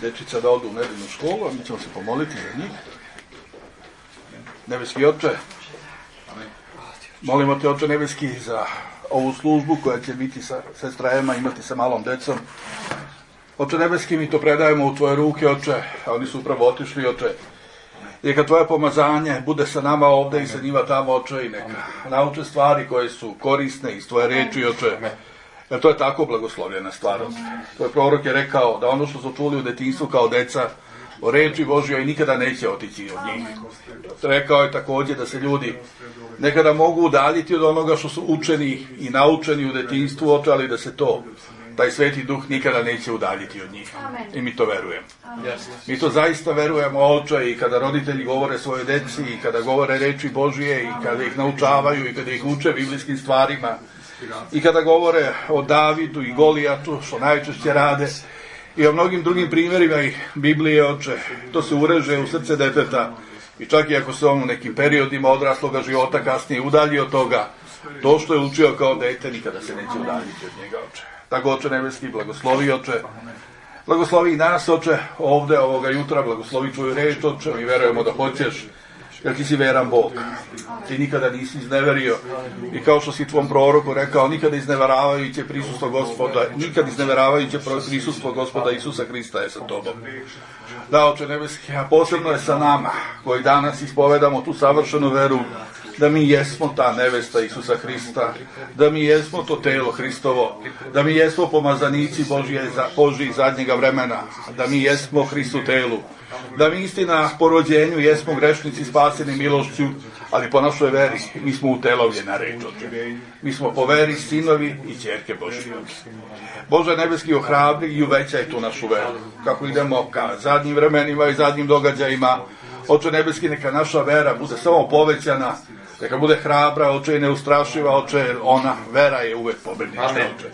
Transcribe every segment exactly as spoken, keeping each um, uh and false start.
dečica da odu u nedeljnu školu, a mi ćemo se pomoliti za njih. Nebeski Oče, molimo te, Oče nebeski, za ovu službu koja će biti sa sestrajama, imati sa malom decom. Oče nebeski, mi to predajemo u tvoje ruke, Oče, a oni su upravo otišli, Oče. Neka tvoje pomazanje bude sa nama ovde i sa njima tamo, Oče, i neka nauče stvari koje su korisne iz tvoje reči, Oče. Jer to je tako blagoslovljena stvar. Tvoj prorok je rekao da ono što su čuli u detinjstvu kao deca o reči Božjoj nikada neće otići od njih. Rekao je također da se ljudi nekada mogu udaljiti od onoga što su učeni i naučeni u detinjstvu, Oče, ali da se to, taj Sveti Duh nikada neće udaljiti od njih. I mi to verujemo. Mi to zaista verujemo, Oče, i kada roditelji govore svoje deci, i kada govore reči Božje, i kada ih naučavaju, i kada ih uče biblijskim stvarima, i kada govore o Davidu i Golijatu, što najčešće rade, i o mnogim drugim primjerima i Biblije, Oče, to se ureže u srce deteta, i čak i ako se on u nekim periodima odrasloga života kasnije udalji od toga, to što je učio kao dete nikada se neće udaljiti od njega, Oče. Tako, Oče nebeski, blagoslovi, Oče, blagoslovi i nas, Oče, ovde ovoga jutra, blagoslovi tvoju reč, Oče, mi verujemo da hoćeš, jer ti si veran Bog. Ti nikada nisi izneverio. I kao što si tvom proroku rekao, nikada izneveravajuće prisustvo Gospoda, nikada izneveravajuće prisustvo Gospoda Isusa Hrista je sa tobom. Da, Oče nebeski, a posebno je sa nama, koji danas ispovedamo tu savršenu veru, da mi jesmo ta nevesta Isusa Hrista, da mi jesmo to telo Hristovo, da mi jesmo pomazanici Božje, Božji zadnjega vremena, da mi jesmo Hristu telu, da mi istina po rođenju jesmo grešnici spaseni milošću, ali po našoj veri mi smo utelovljena reč, Oče. Mi smo po veri sinovi i ćerke Božje. Bože nebeski, ohrabri i uvećaj tu našu veru, kako idemo ka zadnjim vremenima i zadnjim događajima. Oče nebeski, neka naša vera bude samo povećana, neka bude hrabra, Oče, i neustrašiva, Oče, ona, vera je uvek pobednička, Oče.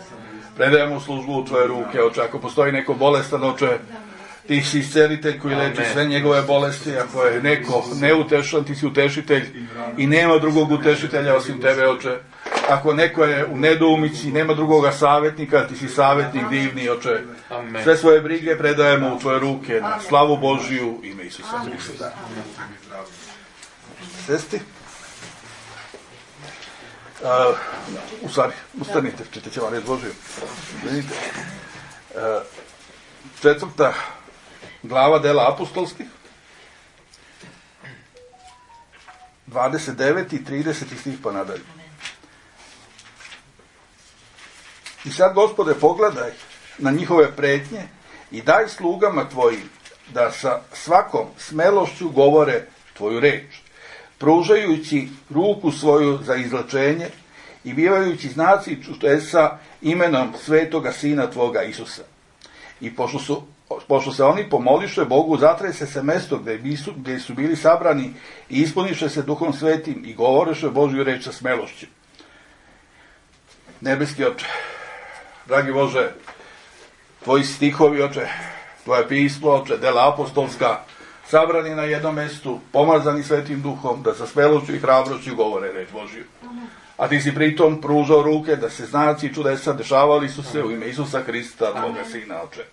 Predajemo službu u tvoje ruke, Oče, ako postoji neko bolestan, Oče, ti si iscelitelj koji leči sve njegove bolesti, ako je neko neutešan, ti si utešitelj i nema drugog utešitelja osim tebe, Oče. Ako neko je u nedoumici, nema drugoga savjetnika, ti si savjetnik divni, Oče. Sve svoje brige predajemo u tvoje ruke na slavu Božiju, ime Isusa Hrista. Sesti? Uh, u stvari, ustanite, čitat će vam reč Božiju. Vidite. Uh, četvrta glava dela apostolskih, dvadeset deveti i trideseti stih pa nadalje. I sad, Gospode, pogledaj na njihove pretnje i daj slugama tvojim da sa svakom smelošću govore tvoju reč, pružajući ruku svoju za izlečenje i bivajući znaci čudesa imenom svetoga Sina tvoga Isusa. I pošto su Pošto se oni pomoliše Bogu, zatrese se mesto gdje su, gdje su bili sabrani i ispuniše se Duhom Svetim i govoreše Božju reč sa smelošću. Nebeski Oče, dragi Bože, tvoji stihovi, Oče, tvoje pismo, Oče, dela apostolska, sabrani na jednom mestu, pomazani Svetim Duhom, da sa smelošću i hrabrošću govore reč Božju. A ti si pritom pružao ruke da se znaci i čudesa dešavali su se u ime Isusa Hrista, tvoga Sina, Oče.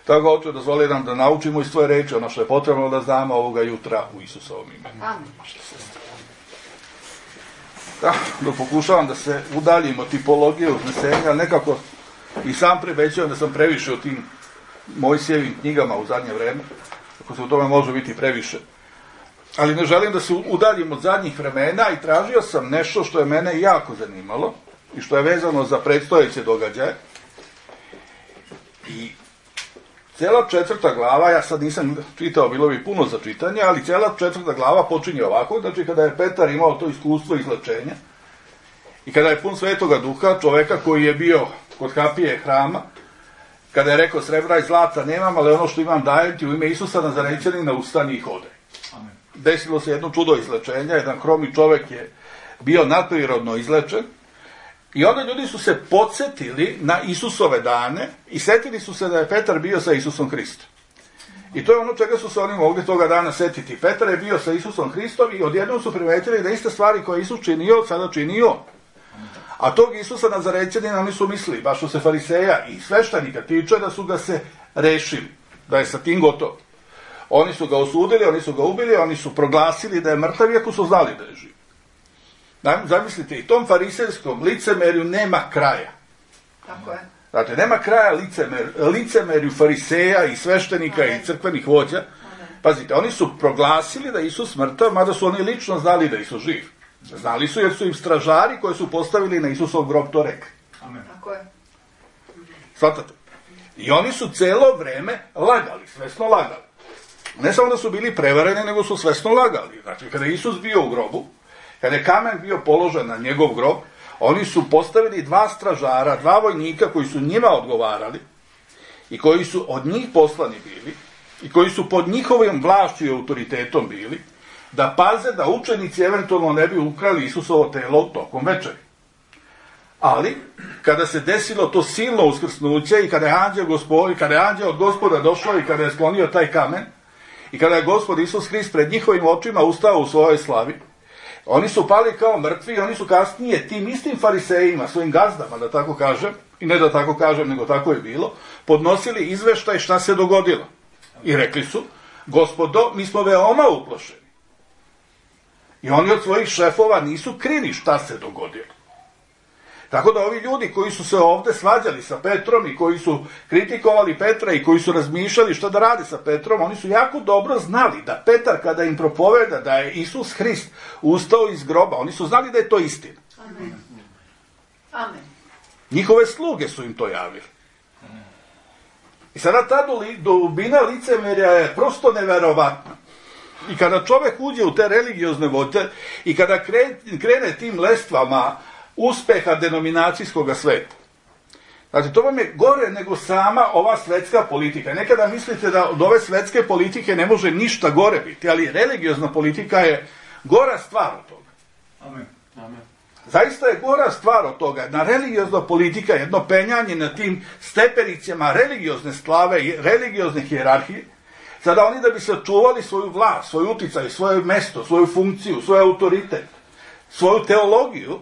Tako, Oče, dozvoli nam da naučimo iz tvoje reči ono što je potrebno da znamo ovoga jutra u Isusovom imenu. Da, da pokušavam da se udaljim od tipologije uznesenja, ali nekako i sam prebećujem da sam previše o tim Mojsijevim knjigama u zadnje vreme, ako se u tome može biti previše. Ali ne želim da se udaljim od zadnjih vremena i tražio sam nešto što je mene jako zanimalo i što je vezano za predstojeće događaje. I cijela četvrta glava, ja sad nisam čitao, bilo bi puno za čitanje, ali cijela četvrta glava počinje ovako, znači kada je Petar imao to iskustvo izlečenja i kada je pun Svetoga Duha, čoveka koji je bio kod kapije hrama, kada je rekao srebra i zlata nemam, ali ono što imam dajem ti u ime Isusa Nazarećanina, ustani i hodaj. Desilo se jedno čudo izlečenja, jedan hromi čovek je bio nadprirodno izlečen. I onda ljudi su se podsjetili na Isusove dane i setili su se da je Petar bio sa Isusom Hristom. I to je ono čega su se oni mogli toga dana setiti. Petar je bio sa Isusom Hristom i odjednom su primetili da iste stvari koje Isus činio, sada činio. A tog Isusa Nazarećanina oni su mislili, baš što se fariseja i sveštenika tiče, da su ga se rešili. da je sa tim gotovo. Oni su ga osudili, oni su ga ubili, oni su proglasili da je mrtav, iako su znali da je živ. Zamislite, i tom farisejskom licemerju nema kraja. Tako je. Znate, nema kraja licemer, licemerju fariseja i sveštenika Amen. I crkvenih vođa. Amen. Pazite, oni su proglasili da je Isus mrtav, mada su oni lično znali da je Isus živ. Znali su jer su im stražari koji su postavili na Isusov grob to rekli. Amen. Tako je. Svatate? I oni su celo vreme lagali, svesno lagali. Ne samo da su bili prevareni, nego su svesno lagali. Znači, kada je Isus bio u grobu, kada je kamen bio položen na njegov grob, oni su postavili dva stražara, dva vojnika koji su njima odgovarali i koji su od njih poslani bili i koji su pod njihovim vlašću i autoritetom bili, da paze da učenici eventualno ne bi ukrali Isusovo telo tokom večeri. Ali, kada se desilo to silno uskrsnuće i kada je anđeo gospod, kada je anđeo od Gospoda došao i kada je sklonio taj kamen i kada je Gospod Isus Hrist pred njihovim očima ustao u svojoj slavi, oni su pali kao mrtvi i oni su kasnije tim istim farisejima, svojim gazdama, da tako kažem, i ne da tako kažem, nego tako je bilo, podnosili izveštaj šta se dogodilo. I rekli su, Gospodo, mi smo veoma uplašeni. I oni od svojih šefova nisu krili šta se dogodilo. Tako da ovi ljudi koji su se ovde svađali sa Petrom i koji su kritikovali Petra i koji su razmišljali šta da rade sa Petrom, oni su jako dobro znali da Petar kada im propoveda da je Isus Hrist ustao iz groba, oni su znali da je to istina. Amen. Amen. Njihove sluge su im to javili. I sada ta dubina licemerja je prosto neverovatna. I kada čovek uđe u te religiozne vode i kada krene tim lestvama uspeha denominacijskog sveta. Znači, to vam je gore nego sama ova svetska politika. Nekada mislite da od ove svetske politike ne može ništa gore biti, ali religiozna politika je gora stvar od toga. Amen. Amen. Zaista je gora stvar od toga. Na religiozna politika, jedno penjanje na tim stepenicama religiozne slave i religiozne hijerarhije, sada oni da bi sačuvali svoju vlast, svoj uticaj, svoje mesto, svoju funkciju, svoj autoritet, svoju teologiju,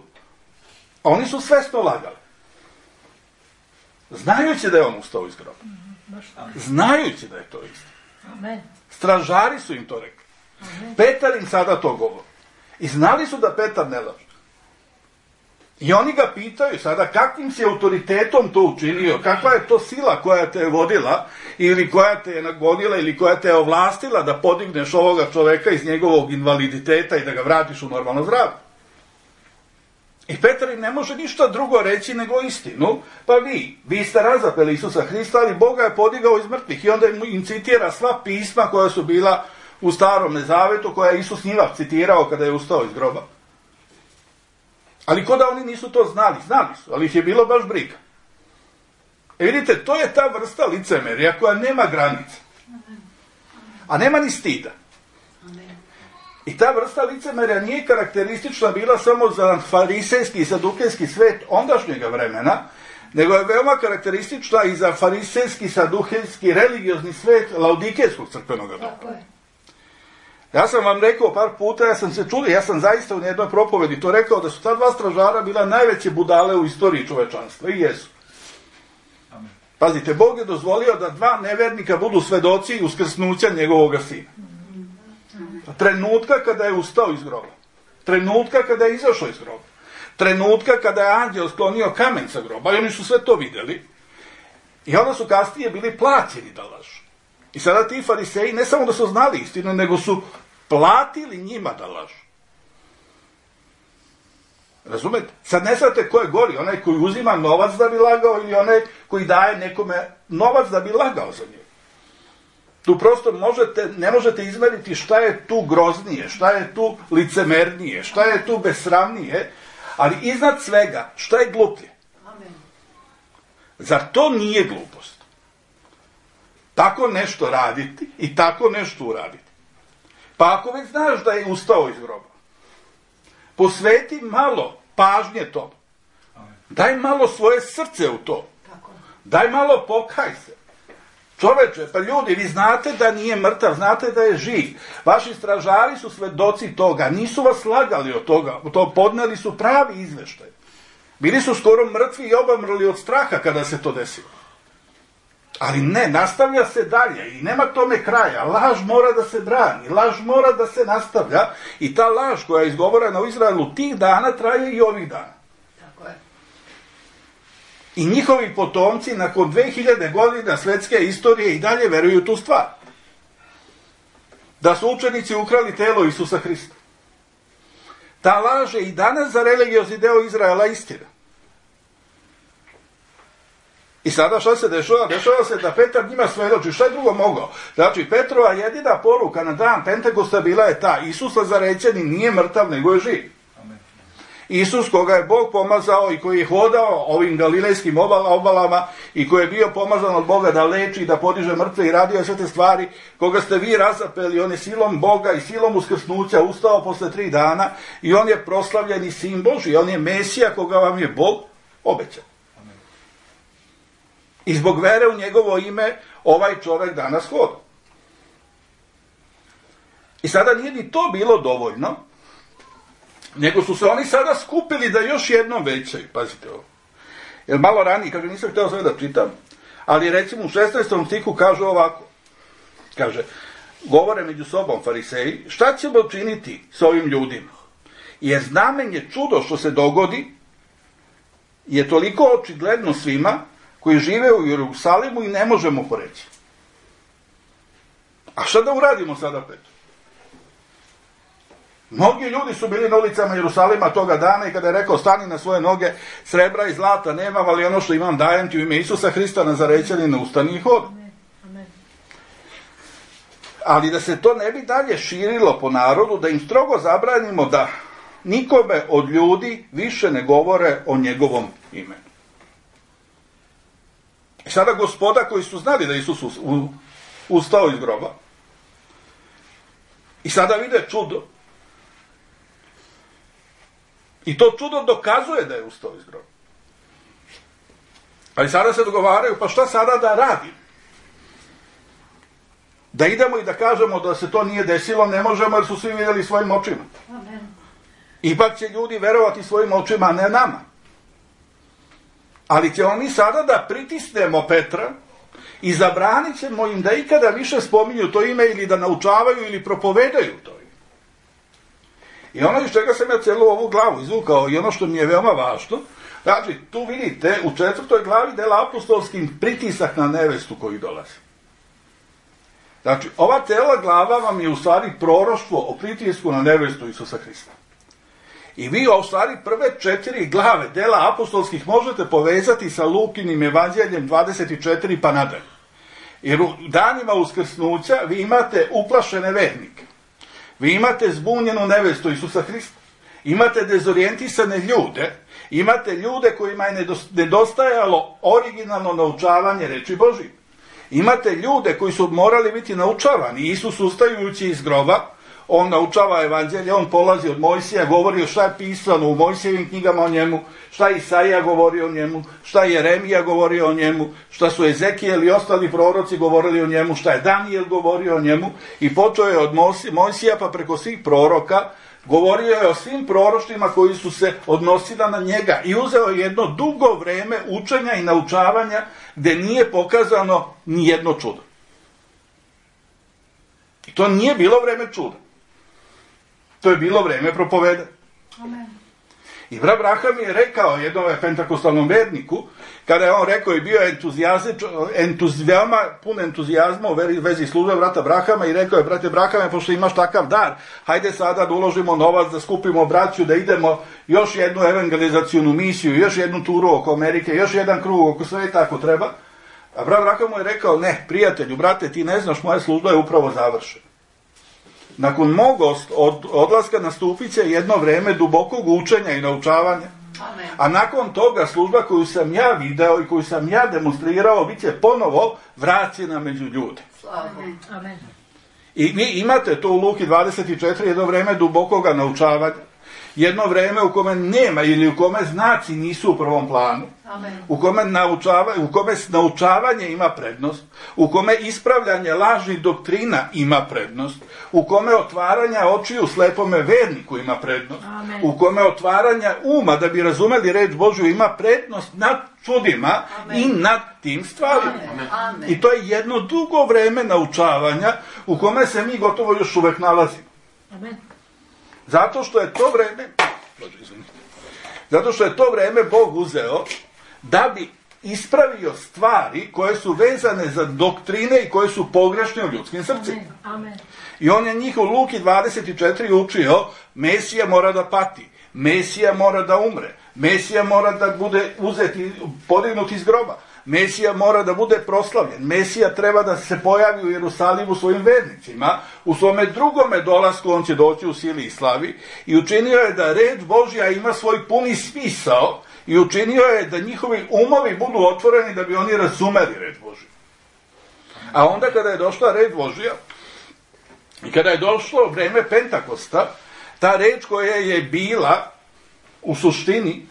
oni su svesno lagali. Znajući da je on ustao iz groba. Znajući da je to istina. Stražari su im to rekli. Petar im sada to govori. I znali su da Petar ne laže. I oni ga pitaju sada kakvim si autoritetom to učinio, kakva je to sila koja te je vodila ili koja te je nagonila ili koja te je ovlastila da podigneš ovoga čoveka iz njegovog invaliditeta i da ga vratiš u normalno zdravlje. I Petar im ne može ništa drugo reći nego istinu, pa vi, vi ste razapeli Isusa Hrista, ali Boga je podigao iz mrtvih. I onda im citira sva pisma koja su bila u Starom Zavetu, koja je Isus njima citirao kada je ustao iz groba. Ali ko da oni nisu to znali? Znali su, ali ih je bilo baš briga. E vidite, to je ta vrsta licemerja koja nema granica. A nema ni stida. I ta vrsta licemerja nije karakteristična bila samo za farisejski i sadukejski svet ondašnjega vremena, nego je veoma karakteristična i za farisejski, sadukejski, religiozni svet laodikejskog crkvenog doba. Ja sam vam rekao par puta, ja sam se čuli, ja sam zaista u jednoj propovedi to rekao, da su ta dva stražara bila najveće budale u istoriji čovečanstva. I jesu. Pazite, Bog je dozvolio da dva nevernika budu svedoci uskrsnuća njegovog sina. Trenutka kada je ustao iz groba. Trenutka kada je izašao iz groba. Trenutka kada je anđeo sklonio kamen sa groba. I oni su sve to vidjeli. I onda su kasnije bili plaćeni da lažu. I sada ti fariseji ne samo da su znali istinu, nego su platili njima da lažu. Razumete? Sad ne znate ko je gori, onaj koji uzima novac da bi lagao ili onaj koji daje nekome novac da bi lagao za njega. Tu prosto možete, ne možete izmeriti šta je tu groznije, šta je tu licemernije, šta je tu besramnije, ali iznad svega, šta je gluplje? Amen. Zar to nije glupost? Tako nešto raditi i tako nešto uraditi. Pa ako već znaš da je ustao iz groba, posveti malo pažnje tomu. Daj malo svoje srce u to. Daj malo pokaj se. Čoveče, pa ljudi, vi znate da nije mrtav, znate da je živ. Vaši stražari su svedoci toga, nisu vas lagali od toga, to podneli su pravi izveštaj. Bili su skoro mrtvi i obamrli od straha kada se to desilo. Ali ne, nastavlja se dalje i nema tome kraja. Laž mora da se brani, laž mora da se nastavlja i ta laž koja je izgovorena u Izraelu tih dana traje i ovih dana. Tako je. I njihovi potomci nakon dve hiljade godina svetske istorije i dalje veruju tu stvar. Da su učenici ukrali telo Isusa Hrista. Ta laž je i danas za religiozni deo Izraela istina. I sada šta se dešava? Dešava se da Petar njima svedoči. Šta je drugo mogao? Znači, Petrova jedina poruka na dan Pentekosta bila je ta: Isus Nazarećanin nije mrtav, nego je živ. Amen. Isus koga je Bog pomazao i koji je hodao ovim galilejskim obalama i koji je bio pomazan od Boga da leči, da podiže mrtve i radio sve te stvari, koga ste vi razapeli, on je silom Boga i silom uskrsnuća ustao posle tri dana i on je proslavljeni sin Božji, on je Mesija koga vam je Bog obećao. I zbog vere u njegovo ime ovaj čovjek danas hoda. I sada nije ni to bilo dovoljno, nego su se oni sada skupili da još jednom većaju. Pazite ovo. Jer malo ranije, kaže, nisam htio sve da čitam, ali recimo u šesnaestom stihu kaže ovako. Kaže, govore među sobom fariseji, šta ćemo činiti s ovim ljudima? Jer znamenje, čudo što se dogodi je toliko očigledno svima koji žive u Jerusalimu i ne možemo poreći. A šta da uradimo sada, Petru? Mnogi ljudi su bili na ulicama Jerusalima toga dana i kada je rekao stani na svoje noge, srebra i zlata nemam, ali ono što imam dajem ti u ime Isusa Hrista Nazarećanina, ustani i hodi. Ali da se to ne bi dalje širilo po narodu, da im strogo zabranimo da nikome od ljudi više ne govore o njegovom imenu. I sada gospoda koji su znali da Isus ustao iz groba i sada vide čudo. I to čudo dokazuje da je ustao iz groba. Ali sada se dogovaraju, pa šta sada da radim? Da idemo i da kažemo da se to nije desilo, ne možemo jer su svi vidjeli svojim očima. Amen. Ipak će ljudi verovati svojim očima, a ne nama. Ali ćemo mi sada da pritisnemo Petra i zabranit ćemo im da ikada više spominju to ime ili da naučavaju ili propovedaju to ime. I ono iz čega sam ja celu ovu glavu izvukao i ono što mi je veoma važno, znači tu vidite u četvrtoj glavi dela apostolskim pritisak na nevestu koji dolazi. Znači ova cela glava vam je u stvari proroštvo o pritisku na nevestu Isusa Hrista. I vi u stvari prve četiri glave dela apostolskih možete povezati sa Lukinim evanđeljem dvadeset četiri pa nadalje. Jer u danima uskrsnuća vi imate uplašene vernike. Vi imate zbunjenu nevestu Isusa Hrista. Imate dezorijentisane ljude. Imate ljude kojima je nedostajalo originalno naučavanje reči Božije. Imate ljude koji su morali biti naučavani. Isus ustajući iz groba, on naučava evanđelje, on polazi od Mojsija, govori o šta je pisano u Mojsijevim knjigama o njemu, šta je Isaija govorio o njemu, šta je Jeremija govorio o njemu, šta su Ezekijel i ostali proroci govorili o njemu, šta je Danijel govorio o njemu i počeo je od Mojsija pa preko svih proroka, govorio je o svim proroštvima koji su se odnosila na njega i uzeo je jedno dugo vreme učenja i naučavanja gde nije pokazano ni jedno čudo. I to nije bilo vreme čuda. To je bilo vreme propovedanja. Amen. I brat Braham je rekao jednom pentakostalnom verniku, kada je on rekao i bio entuzijama, pun entuzijazma u vezi službe brata Brahama i rekao je, brate Brahame, pošto imaš takav dar, hajde sada da uložimo novac, da skupimo braću, da idemo još jednu evangelizacijonu misiju, još jednu turu oko Amerike, još jedan krug oko sveta ako treba. A brat Braham mu je rekao, ne, prijatelju, brate, ti ne znaš, moja služba je upravo završena. Nakon mog od, odlaska nastupit će jedno vreme dubokog učenja i naučavanja. Amen. A nakon toga služba koju sam ja video i koju sam ja demonstrirao bit će ponovo vraćena među ljude. Amen. Amen. I vi imate to u Luki dvadeset četiri jedno vreme dubokoga naučavanja. jedno vreme u kome nema ili u kome znaci nisu u prvom planu, Amen. u kome, naučava, u kome naučavanje ima prednost, u kome ispravljanje lažnih doktrina ima prednost, u kome otvaranja očiju slepome verniku ima prednost, Amen. u kome otvaranja uma da bi razumeli reč Božju ima prednost nad čudima Amen. i nad tim stvarima. Amen. Amen. I to je jedno dugo vreme naučavanja u kome se mi gotovo još uvek nalazimo. Amen. Zato što je to vreme, Bože, izvinite, zato što je to vreme Bog uzeo da bi ispravio stvari koje su vezane za doktrine i koje su pogrešne u ljudskim srcima. Amen. I on je njih u Luki dvadeset četiri učio, Mesija mora da pati, Mesija mora da umre, Mesija mora da bude uzet i podignut iz groba, Mesija mora da bude proslavljen, Mesija treba da se pojavi u Jerusalimu svojim vernicima, u svome drugome dolasku on će doći u sili i slavi i učinio je da reč Božja ima svoj puni smisao i učinio je da njihovi umovi budu otvoreni da bi oni razumeli reč Božju. A onda kada je došla reč Božja i kada je došlo vreme Pentakosta, ta reč koja je bila u suštini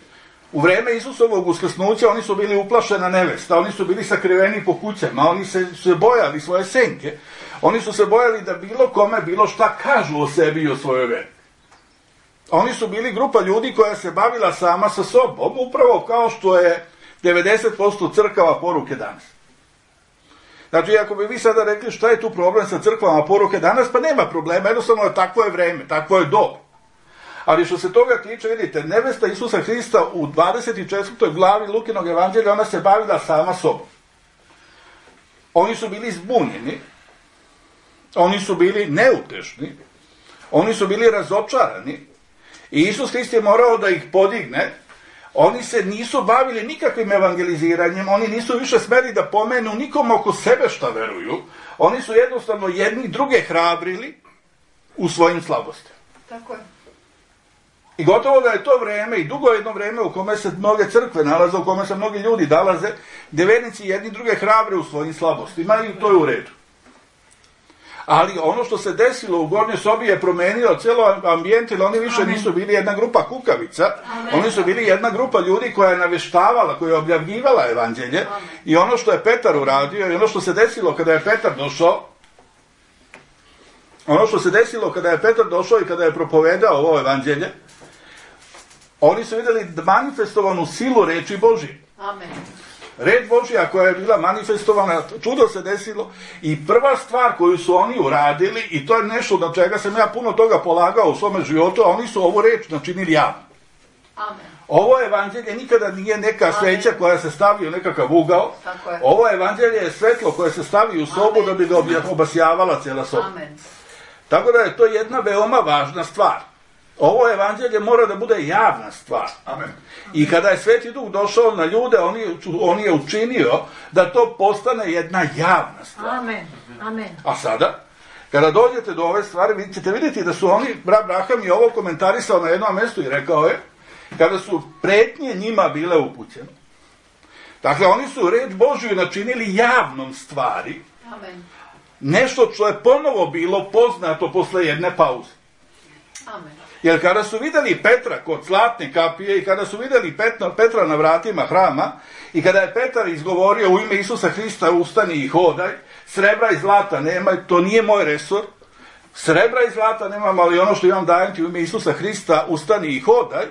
u vreme Isusovog uskrsnuća, oni su bili uplašena nevesta, oni su bili sakriveni po kućama, oni se, se bojali svoje senke, oni su se bojali da bilo kome bilo šta kažu o sebi i o svojoj veri. Oni su bili grupa ljudi koja se bavila sama sa sobom, upravo kao što je devedeset posto crkava poruke danas. Znači, ako bi vi sada rekli šta je tu problem sa crkvama poruke danas, pa nema problema, jednostavno je takvo je vreme, takvo je doba. Ali što se toga tiče, vidite, nevesta Isusa Hrista u dvadeset četvrtoj glavi Lukinog evanđelja, ona se bavila sama sobom. Oni su bili zbunjeni, oni su bili neutešni, oni su bili razočarani i Isus Hrist je morao da ih podigne. Oni se nisu bavili nikakvim evangeliziranjem, oni nisu više smeli da pomenu nikom oko sebe šta veruju, oni su jednostavno jedni druge hrabrili u svojim slabostima. Tako je. I gotovo da je to vreme i dugo jedno vreme u kome se mnoge crkve nalaze, u kome se mnogi ljudi nalaze, gde vernici jedni druge hrabre u svojim slabostima i to je u redu. Ali ono što se desilo u Gornjoj sobi je promenilo cijelo ambijent, jer oni više nisu bili jedna grupa kukavica, Amen. Oni su bili jedna grupa ljudi koja je naveštavala, koja je objavljivala evanđelje. Amen. I ono što je Petar uradio i ono što se desilo kada je Petar došao, ono što se desilo kada je Petar došao i kada je propovedao ovo evanđelje, oni su vidjeli manifestovanu silu reči Božje. Amen. Reč Božja koja je bila manifestovana, čudo se desilo i prva stvar koju su oni uradili, i to je nešto na čega sam ja puno toga polagao u svome životu, a oni su ovu reč načinili javno. Amen. Ovo evanđelje nikada nije neka sveća koja se stavi u nekakav ugao. Ovo evanđelje je svetlo koje se stavi u sobu. Amen. Da bi ga obasjavala cijela soba. Amen. Tako da je to jedna veoma važna stvar. Ovo evanđelje mora da bude javna stvar. Amen. I kada je Sveti Duh došao na ljude, on je, on je učinio da to postane jedna javna stvar. Amen. Amen. A sada, kada dođete do ove stvari, vi ćete vidjeti da su oni, brat Braham je ovo komentarisao na jednom mjestu i rekao je, kada su pretnje njima bile upućene. Dakle, oni su reč Božju načinili javnom stvari. Amen. Nešto što je ponovo bilo poznato posle jedne pauze. Amen. Jer kada su vidjeli Petra kod zlatne kapije i kada su vidjeli Petra, Petra na vratima hrama i kada je Petar izgovorio u ime Isusa Hrista ustani i hodaj, srebra i zlata nema, to nije moj resor, srebra i zlata nemam, ali ono što imam dajem ti u ime Isusa Hrista ustani i hodaj,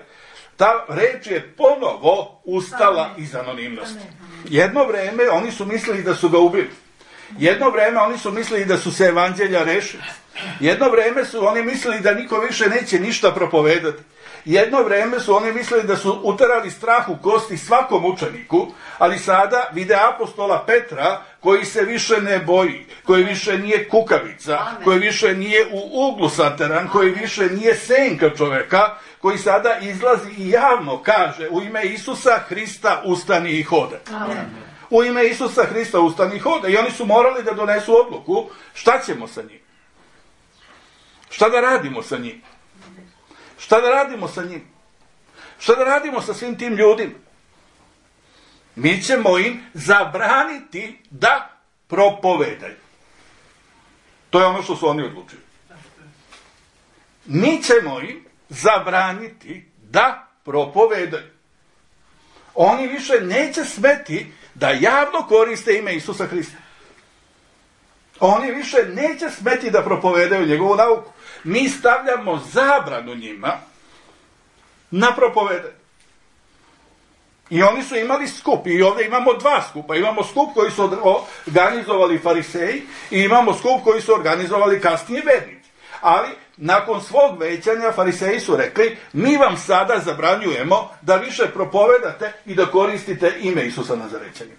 ta reč je ponovo ustala Amen. Iz anonimnosti. Jedno vreme oni su mislili da su ga ubili. Jedno vreme oni su mislili da su se evanđelja rešili. Jedno vreme su oni mislili da niko više neće ništa propovedati. Jedno vreme su oni mislili da su uterali strah u kosti svakom učeniku, ali sada vide apostola Petra koji se više ne boji, koji više nije kukavica, Amen. Koji više nije u uglu sateran, koji više nije senka čoveka, koji sada izlazi i javno kaže u ime Isusa Hrista ustani i hodaj. Amen. U ime Isusa Hrista ustani i hodaj. I oni su morali da donesu odluku šta ćemo sa njim. Šta da radimo sa njim? Šta da radimo sa njim? Šta da radimo sa svim tim ljudima? Mi ćemo im zabraniti da propovedaju. To je ono što su oni odlučili. Mi ćemo im zabraniti da propovedaju. Oni više neće smeti da javno koriste ime Isusa Hrista. Oni više neće smeti da propovedaju njegovu nauku. Mi stavljamo zabranu njima na propovedanje. I oni su imali skup. I ovdje imamo dva skupa. Imamo skup koji su organizovali fariseji i imamo skup koji su organizovali kasnije vernici. Ali nakon svog većanja fariseji su rekli, mi vam sada zabranjujemo da više propovedate i da koristite ime Isusa Nazarećanina.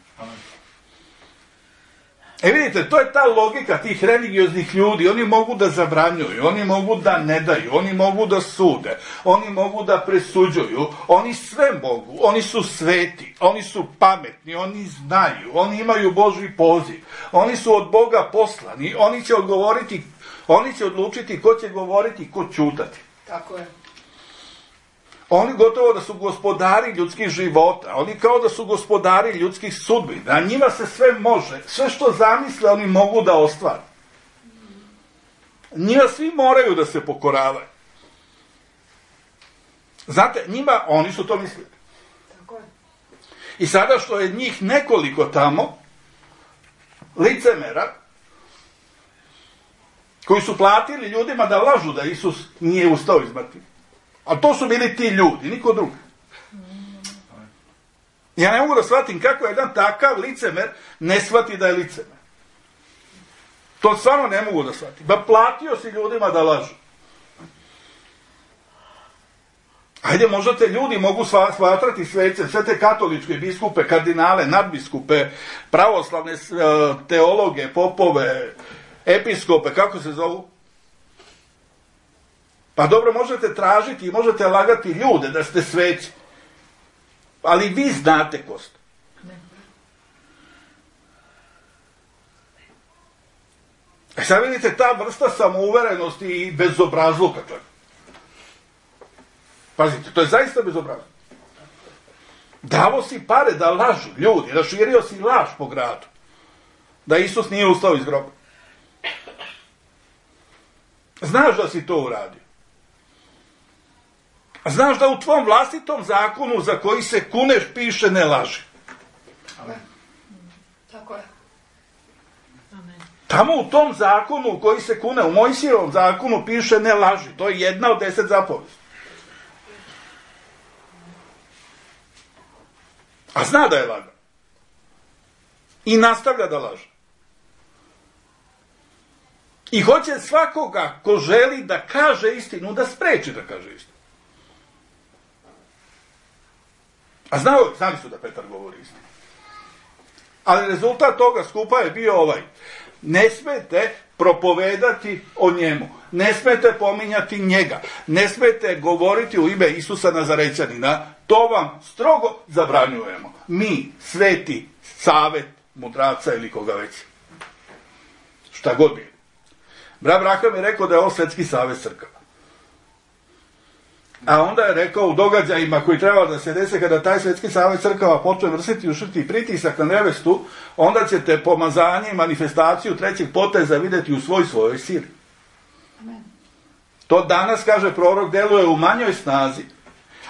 E vidite, to je ta logika tih religioznih ljudi. Oni mogu da zabranjuju, oni mogu da ne daju, oni mogu da sude, oni mogu da presuđuju, oni sve mogu, oni su sveti, oni su pametni, oni znaju, oni imaju Božji poziv, oni su od Boga poslani, oni će odgovoriti, oni će odlučiti ko će govoriti, ko ćutati. Tako je. Oni gotovo da su gospodari ljudskih života, oni kao da su gospodari ljudskih sudbina, njima se sve može, sve što zamisle oni mogu da ostvare. Njima svi moraju da se pokoravaju. Znate, njima, oni su to mislili. Tako je. I sada što je njih nekoliko tamo, licemera, koji su platili ljudima da lažu da Isus nije ustao iz mrtvih. A to su bili ti ljudi, niko drugi. Ja ne mogu da shvatim kako jedan takav licemer ne shvati da je licemer. To stvarno ne mogu da shvatim. Ba platio si ljudima da lažu. Ajde, možda te ljudi mogu shvatrati svece, sve te katoličke biskupe, kardinale, nadbiskupe, pravoslavne teologe, popove, episkope, kako se zovu? Pa dobro, možete tražiti i možete lagati ljude da ste sveci. Ali vi znate ko ste. E sad vidite, ta vrsta samouverenosti i bezobrazluka. Pazite, to je zaista bezobrazluk. Davo si pare da lažu ljudi, raširio si laž po gradu. Da Isus nije ustao iz groba. Znaš da si to uradio. Znaš da u tvom vlastitom zakonu za koji se kuneš piše ne laži. Amen. Tako je. Amen. Tamo u tom zakonu u koji se kune, u Mojsijevom zakonu piše ne laži. To je jedna od deset zapovesti. A zna da je laga. I nastavlja da laže. I hoće svakoga ko želi da kaže istinu, da spreči da kaže istinu. A znao, znali su da Petar govori istinu. Ali rezultat toga skupa je bio ovaj. Ne smete propovedati o njemu. Ne smete pominjati njega. Ne smete govoriti u ime Isusa Nazarećanina. To vam strogo zabranjujemo. Mi, sveti savet mudraca ili koga već. Šta god bi. Brat Braham je rekao da je ovo svetski savet crkava. A onda je rekao u događajima koji treba da se dese kada taj svetski savet crkava počne vršiti ušrti pritisak na nevestu, onda ćete pomazanje i manifestaciju trećeg poteza vidjeti u svoj svojoj sili. Amen. To danas, kaže prorok, deluje u manjoj snazi,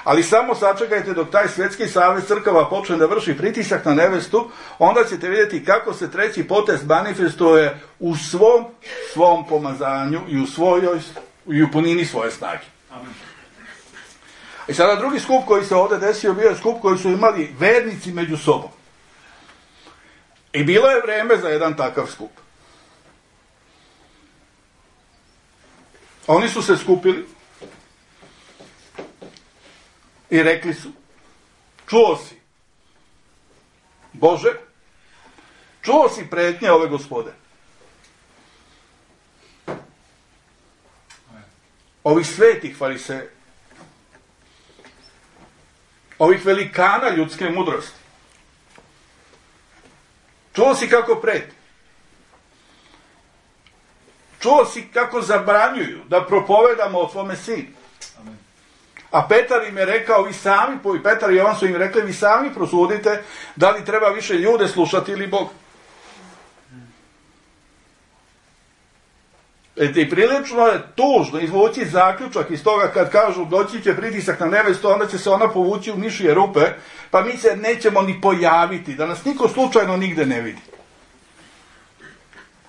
ali samo sačekajte dok taj svetski savet crkava počne da vrši pritisak na nevestu, onda ćete vidjeti kako se treći potez manifestuje u svom svom pomazanju i u svojoj i u punini svoje snage. Amen. I sada drugi skup koji se ovdje desio bio je skup koji su imali vernici među sobom. I bilo je vreme za jedan takav skup. Oni su se skupili i rekli su, čuo si, Bože, čuo si pretnje ove Gospode. Ovih svetih fariseja. Ovih velikana ljudske mudrosti. Čuo si kako preti. Čuo si kako zabranjuju da propovedamo o tvome sinu. A Petar im je rekao, vi sami, i Petar i Jovan su im rekli, vi sami prosudite da li treba više ljude slušati ili Bog. I prilično je tužno izvući zaključak iz toga kad kažu doći će pritisak na nevestu, onda će se ona povući u mišije rupe, pa mi se nećemo ni pojaviti, da nas niko slučajno nigde ne vidi.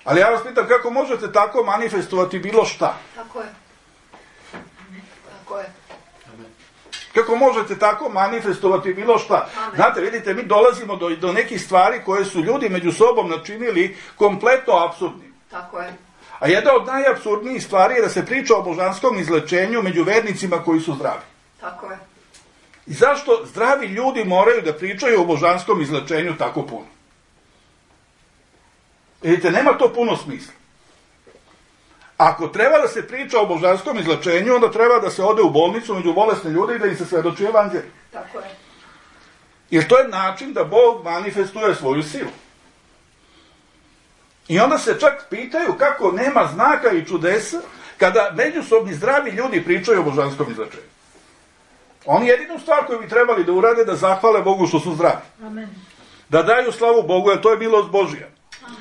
Ali ja vas pitam, kako možete tako manifestovati bilo šta? Tako je. Tako je. Kako možete tako manifestovati bilo šta? Amen. Znate, vidite, mi dolazimo do, do nekih stvari koje su ljudi među sobom načinili kompletno apsurdnim. Tako je. A jedna od najapsurdnijih stvari je da se priča o božanskom izlečenju među vernicima koji su zdravi. Tako je. I zašto zdravi ljudi moraju da pričaju o božanskom izlečenju tako puno? Vidite, nema to puno smisla. Ako treba da se priča o božanskom izlečenju, onda treba da se ode u bolnicu među bolesne ljude i da im se svedoči evanđelje. Tako je. Jer to je način da Bog manifestuje svoju silu. I onda se čak pitaju kako nema znaka i čudesa kada međusobni zdravi ljudi pričaju o božanskom izlečenju. Oni jedinu stvar koju bi trebali da urade da zahvale Bogu što su zdravi. Amen. Da daju slavu Bogu, jer to je milost Božija. Amen.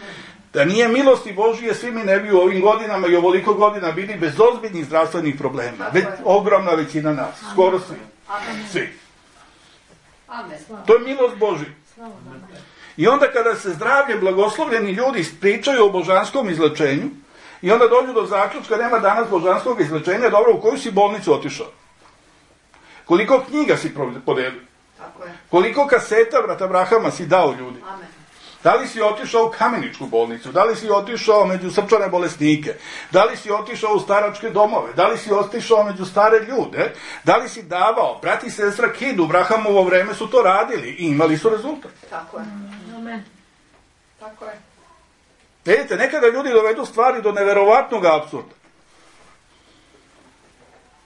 Da nije milosti Božije, svi mi ne bi u ovim godinama i ovoliko godina bili bez ozbiljnih zdravstvenih problema. Već, ogromna većina nas, Amen. Skoro svi. Amen. Svi. Amen. To je milost Božija. I onda kada se zdravljem blagoslovljeni ljudi pričaju o božanskom izlečenju i onda dođu do zaključka nema danas božanskog izlečenja, dobro, u koju si bolnicu otišao? Koliko knjiga si podelio? Tako je. Koliko kaseta brata Brahama si dao ljudi? Amen. Da li si otišao u Kameničku bolnicu? Da li si otišao među srčane bolesnike? Da li si otišao u staračke domove? Da li si otišao među stare ljude? Da li si davao? Brat i sestra Kid u Brahamovo vreme su to radili i imali su rezultat. Tako je. Amen. Tako je. Vidite, nekada ljudi dovedu stvari do neverovatnog apsurda.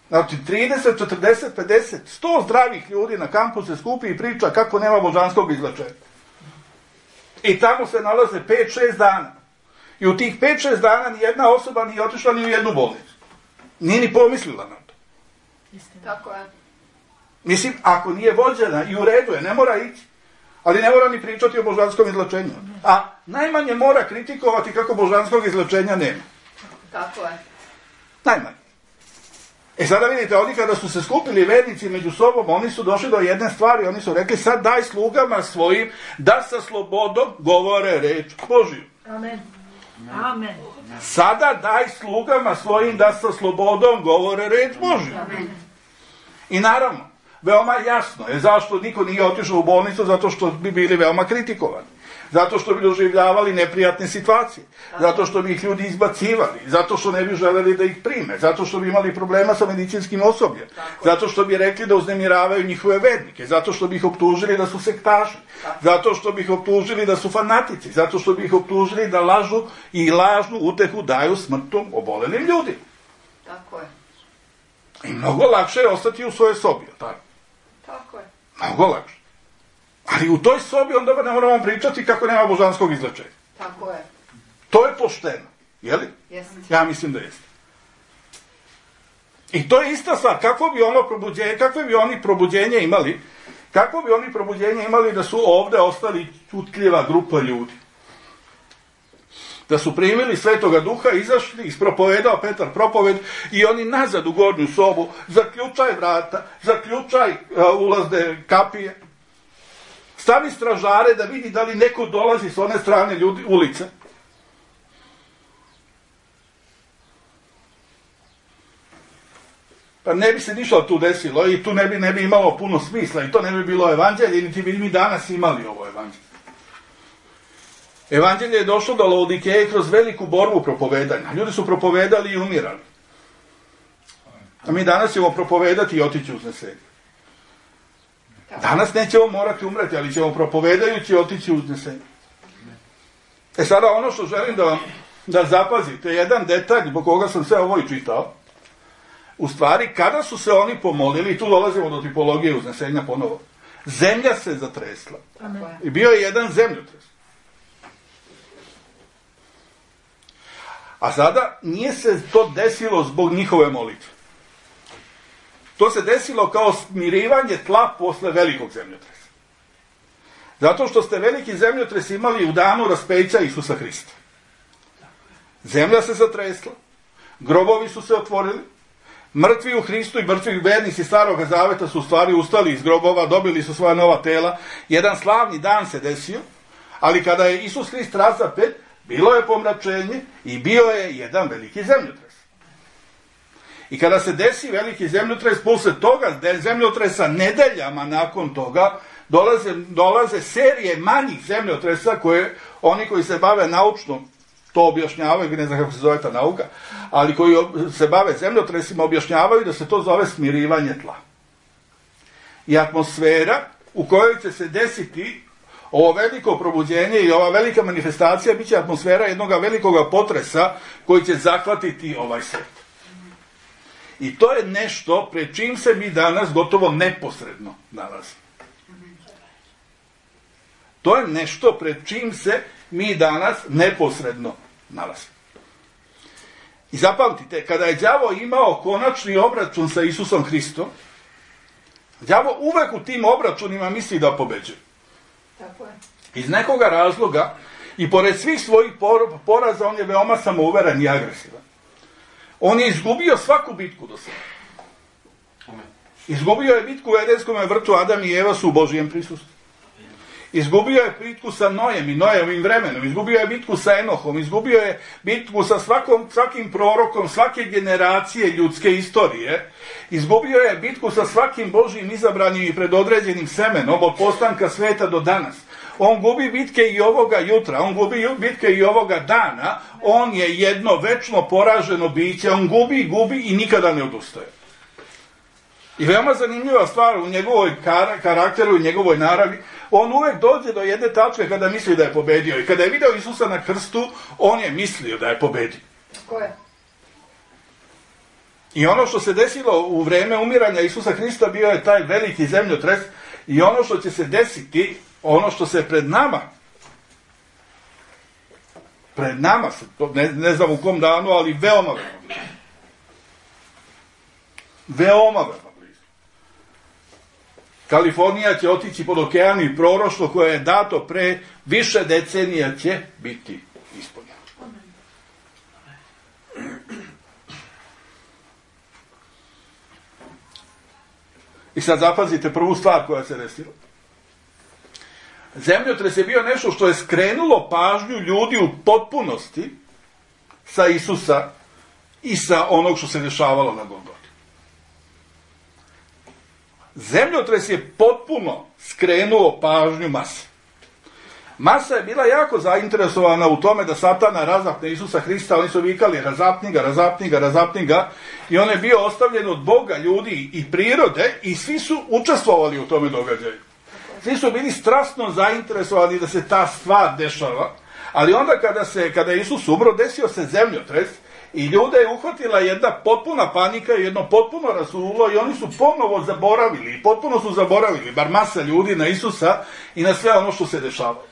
Znači, trideset, četrdeset, pedeset, sto zdravih ljudi na kampu se skupi i priča kako nema božanskog izlečenja. I tamo se nalaze pet šest dana. I u tih pet šest dana nijedna osoba nije otišla ni u jednu bolnicu. Nije ni pomislila na to. Tako je. Mislim, ako nije vođena i u redu je, ne mora ići. Ali ne mora ni pričati o božanskom izlečenju. A najmanje mora kritikovati kako božanskog izlečenja nema. Tako je. Najmanje. E sada vidite, oni kada su se skupili vernici među sobom, oni su došli do jedne stvari, oni su rekli sad daj slugama svojim da sa slobodom govore reč Božiju. Amen. Amen. Sada daj slugama svojim da sa slobodom govore reč Božiju. Amen. I naravno, veoma jasno je zašto niko nije otišao u bolnicu, zato što bi bili veoma kritikovani. Zato što bi doživljavali neprijatne situacije, zato što bi ih ljudi izbacivali, zato što ne bi želeli da ih prime, zato što bi imali problema sa medicinskim osobljem, zato što bi rekli da uznemiravaju njihove vernike, zato što bi ih optužili da su sektaši, zato što bi ih optužili da su fanatici, zato što bi ih optužili da lažu i lažnu utehu daju smrtom obolelim ljudima. Tako je. I mnogo lakše je ostati u svojoj sobi, tako? Tako je. Mnogo lakše. Ali u toj sobi onda ne moramo pričati kako nema božanskog izlečenja. Tako je. To je pošteno, je li? Jeste. Ja mislim da jeste. I to je ista stvar. Kako bi ono probuđenje, kakve bi oni probuđenje imali, kako bi oni probuđenje imali da su ovde ostali čutljiva grupa ljudi? Da su primili Svetoga Duha, izašli, ispropovedao Petar propoved i oni nazad u gornju sobu, zaključaj vrata, zaključaj uh, ulazne kapije, stavi stražare da vidi da li neko dolazi s one strane ljudi, ulice. Pa ne bi se ništa tu desilo i tu ne bi, ne bi imalo puno smisla i to ne bi bilo evanđelje, niti bi mi danas imali ovo evanđelje. Evanđelje je došlo do Laodikeje kroz veliku borbu propovedanja. Ljudi su propovedali i umirali. A mi danas ćemo propovedati i otići uznesenje. Danas nećemo morati umreti, ali ćemo propovedajući otići uznesenje. E sada ono što želim da vam da zapazite, jedan detalj zbog koga sam sve ovo i čitao, u stvari, kada su se oni pomolili, i tu dolazimo do tipologije uznesenja ponovo, zemlja se zatresla. Amen. I bio je jedan zemljotres. A sada nije se to desilo zbog njihove molitve. To se desilo kao smirivanje tla posle velikog zemljotresa. Zato što ste veliki zemljotres imali u danu raspeća Isusa Hrista. Zemlja se zatresla, grobovi su se otvorili, mrtvi u Hristu i mrtvi vernici Starog zaveta su u stvari ustali iz grobova, dobili su svoja nova tela. Jedan slavni dan se desio, ali kada je Isus Hrist razapet, bilo je pomračenje i bio je jedan veliki zemljotres. I kada se desi veliki zemljotres, posle toga zemljotresa nedeljama nakon toga, dolaze, dolaze serije manjih zemljotresa koje oni koji se bave naučno to objašnjavaju, ne znam kako se zove ta nauka, ali koji se bave zemljotresima objašnjavaju da se to zove smirivanje tla. I atmosfera u kojoj će se desiti ovo veliko probuđenje i ova velika manifestacija bit će atmosfera jednog velikog potresa koji će zahvatiti ovaj svet. I to je nešto pred čim se mi danas gotovo neposredno nalazimo. To je nešto pred čim se mi danas neposredno nalazimo. I zapamtite, kada je đavo imao konačni obračun sa Isusom Hristom, đavo uvek u tim obračunima misli da pobeđuje. Tako je. Iz nekoga razloga i pored svih svojih poraza on je veoma samouveren i agresivan. On je izgubio svaku bitku do sada. Izgubio je bitku u Edenskom vrtu, Adam i Eva su u Božijem prisustvu. Izgubio je bitku sa Nojem i Nojevim vremenom, izgubio je bitku sa Enohom, izgubio je bitku sa svakom, svakim prorokom, svake generacije ljudske istorije, izgubio je bitku sa svakim Božijim izabranim i predodređenim semenom od postanka sveta do danas. On gubi bitke i ovoga jutra, on gubi bitke i ovoga dana, on je jedno večno poraženo biće, on gubi, gubi i nikada ne odustaje. I veoma zanimljiva stvar u njegovoj kar- karakteru i njegovoj naravi, on uvek dođe do jedne tačke kada misli da je pobedio. I kada je video Isusa na krstu, on je mislio da je pobedio. Ko je? I ono što se desilo u vreme umiranja Isusa Hrista bio je taj veliki zemljotres i ono što će se desiti, ono što se pred nama, pred nama, ne, ne znam u kom danu, ali veoma, veoma blizu. Veoma, veoma. Kalifornija će otići pod okean i proroštvo koje je dato pre više decenija će biti ispunjeno. I sad zapazite prvu stvar koja se desila. Zemljotres je bio nešto što je skrenulo pažnju ljudi u potpunosti sa Isusa i sa onog što se dešavalo na Golgoti. Zemljotres je potpuno skrenuo pažnju mase. Masa je bila jako zainteresovana u tome da Satana razapne Isusa Hrista, oni su vikali razapni ga, razapni ga, razapni ga, i on je bio ostavljen od Boga, ljudi i prirode i svi su učestvovali u tome događaju. Svi su bili strasno zainteresovani da se ta stvar dešava, ali onda kada, se, kada je Isus umro, desio se zemljotres i ljude je uhvatila jedna potpuna panika i jedno potpuno rasulo i oni su ponovo zaboravili, potpuno su zaboravili, bar masa ljudi, na Isusa i na sve ono što se dešavalo.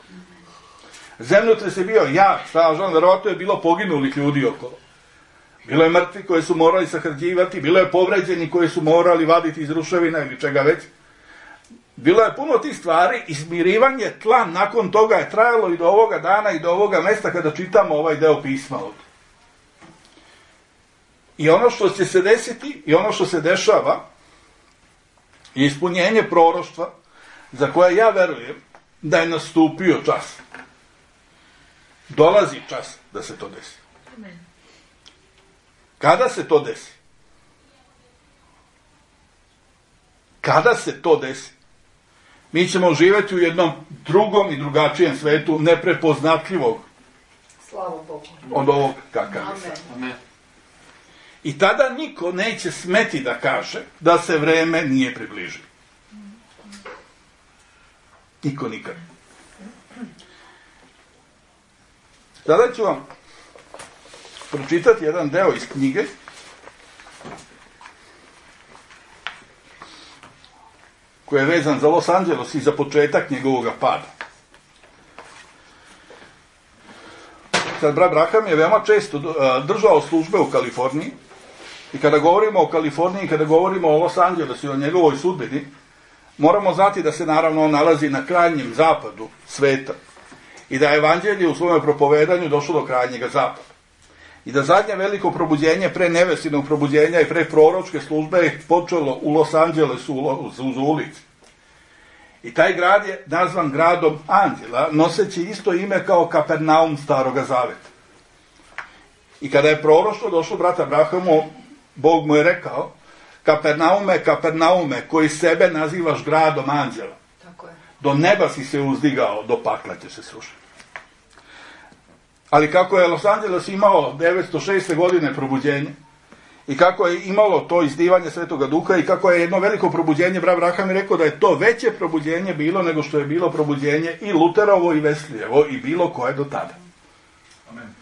Zemljotres je bio jak, stražan, verovatno je bilo poginulih ljudi okolo. Bilo je mrtvi koje su morali sahrđivati, bilo je povređeni koji su morali vaditi iz ruševina ili čega već. Bilo je puno tih stvari i smirivanje tla nakon toga je trajalo i do ovoga dana i do ovoga mesta kada čitamo ovaj deo pisma ovdje. I ono što će se desiti i ono što se dešava je ispunjenje proroštva za koje ja verujem da je nastupio čas. Dolazi čas da se to desi. Kada se to desi? Kada se to desi? Mi ćemo živjeti u jednom drugom i drugačijem svetu, neprepoznatljivog od ovog kakav je sad. I tada niko neće smeti da kaže da se vreme nije približilo. Niko nikad. Sada ću vam pročitati jedan deo iz knjige koji je vezan za Los Angeles i za početak njegovog pada. Sad, brat Braham je veoma često držao službe u Kaliforniji i kada govorimo o Kaliforniji, kada govorimo o Los Angelesu i o njegovoj sudbini, moramo znati da se naravno on nalazi na krajnjem zapadu sveta i da je evanđelje u svome propovedanju došlo do krajnjega zapada. I da zadnje veliko probuđenje pre nevestinog probuđenja i pre proročke službe je počelo u Los Angelesu uz ulici. I taj grad je nazvan gradom anđela, noseći isto ime kao Kapernaum Staroga Zaveta. I kada je proroštvo došlo brata Abrahamu, Bog mu je rekao, Kapernaume, Kapernaume, koji sebe nazivaš gradom anđela. Tako je. Do neba si se uzdigao, do pakla će se srušiti. Ali kako je Los Angeles imao devetsto šeste. godine probuđenje, i kako je imalo to izdivanje Svetoga Duha, i kako je jedno veliko probuđenje, brat Abraham je rekao da je to veće probuđenje bilo nego što je bilo probuđenje i Luterovo i Veslijevo i bilo koje do tada. Amen.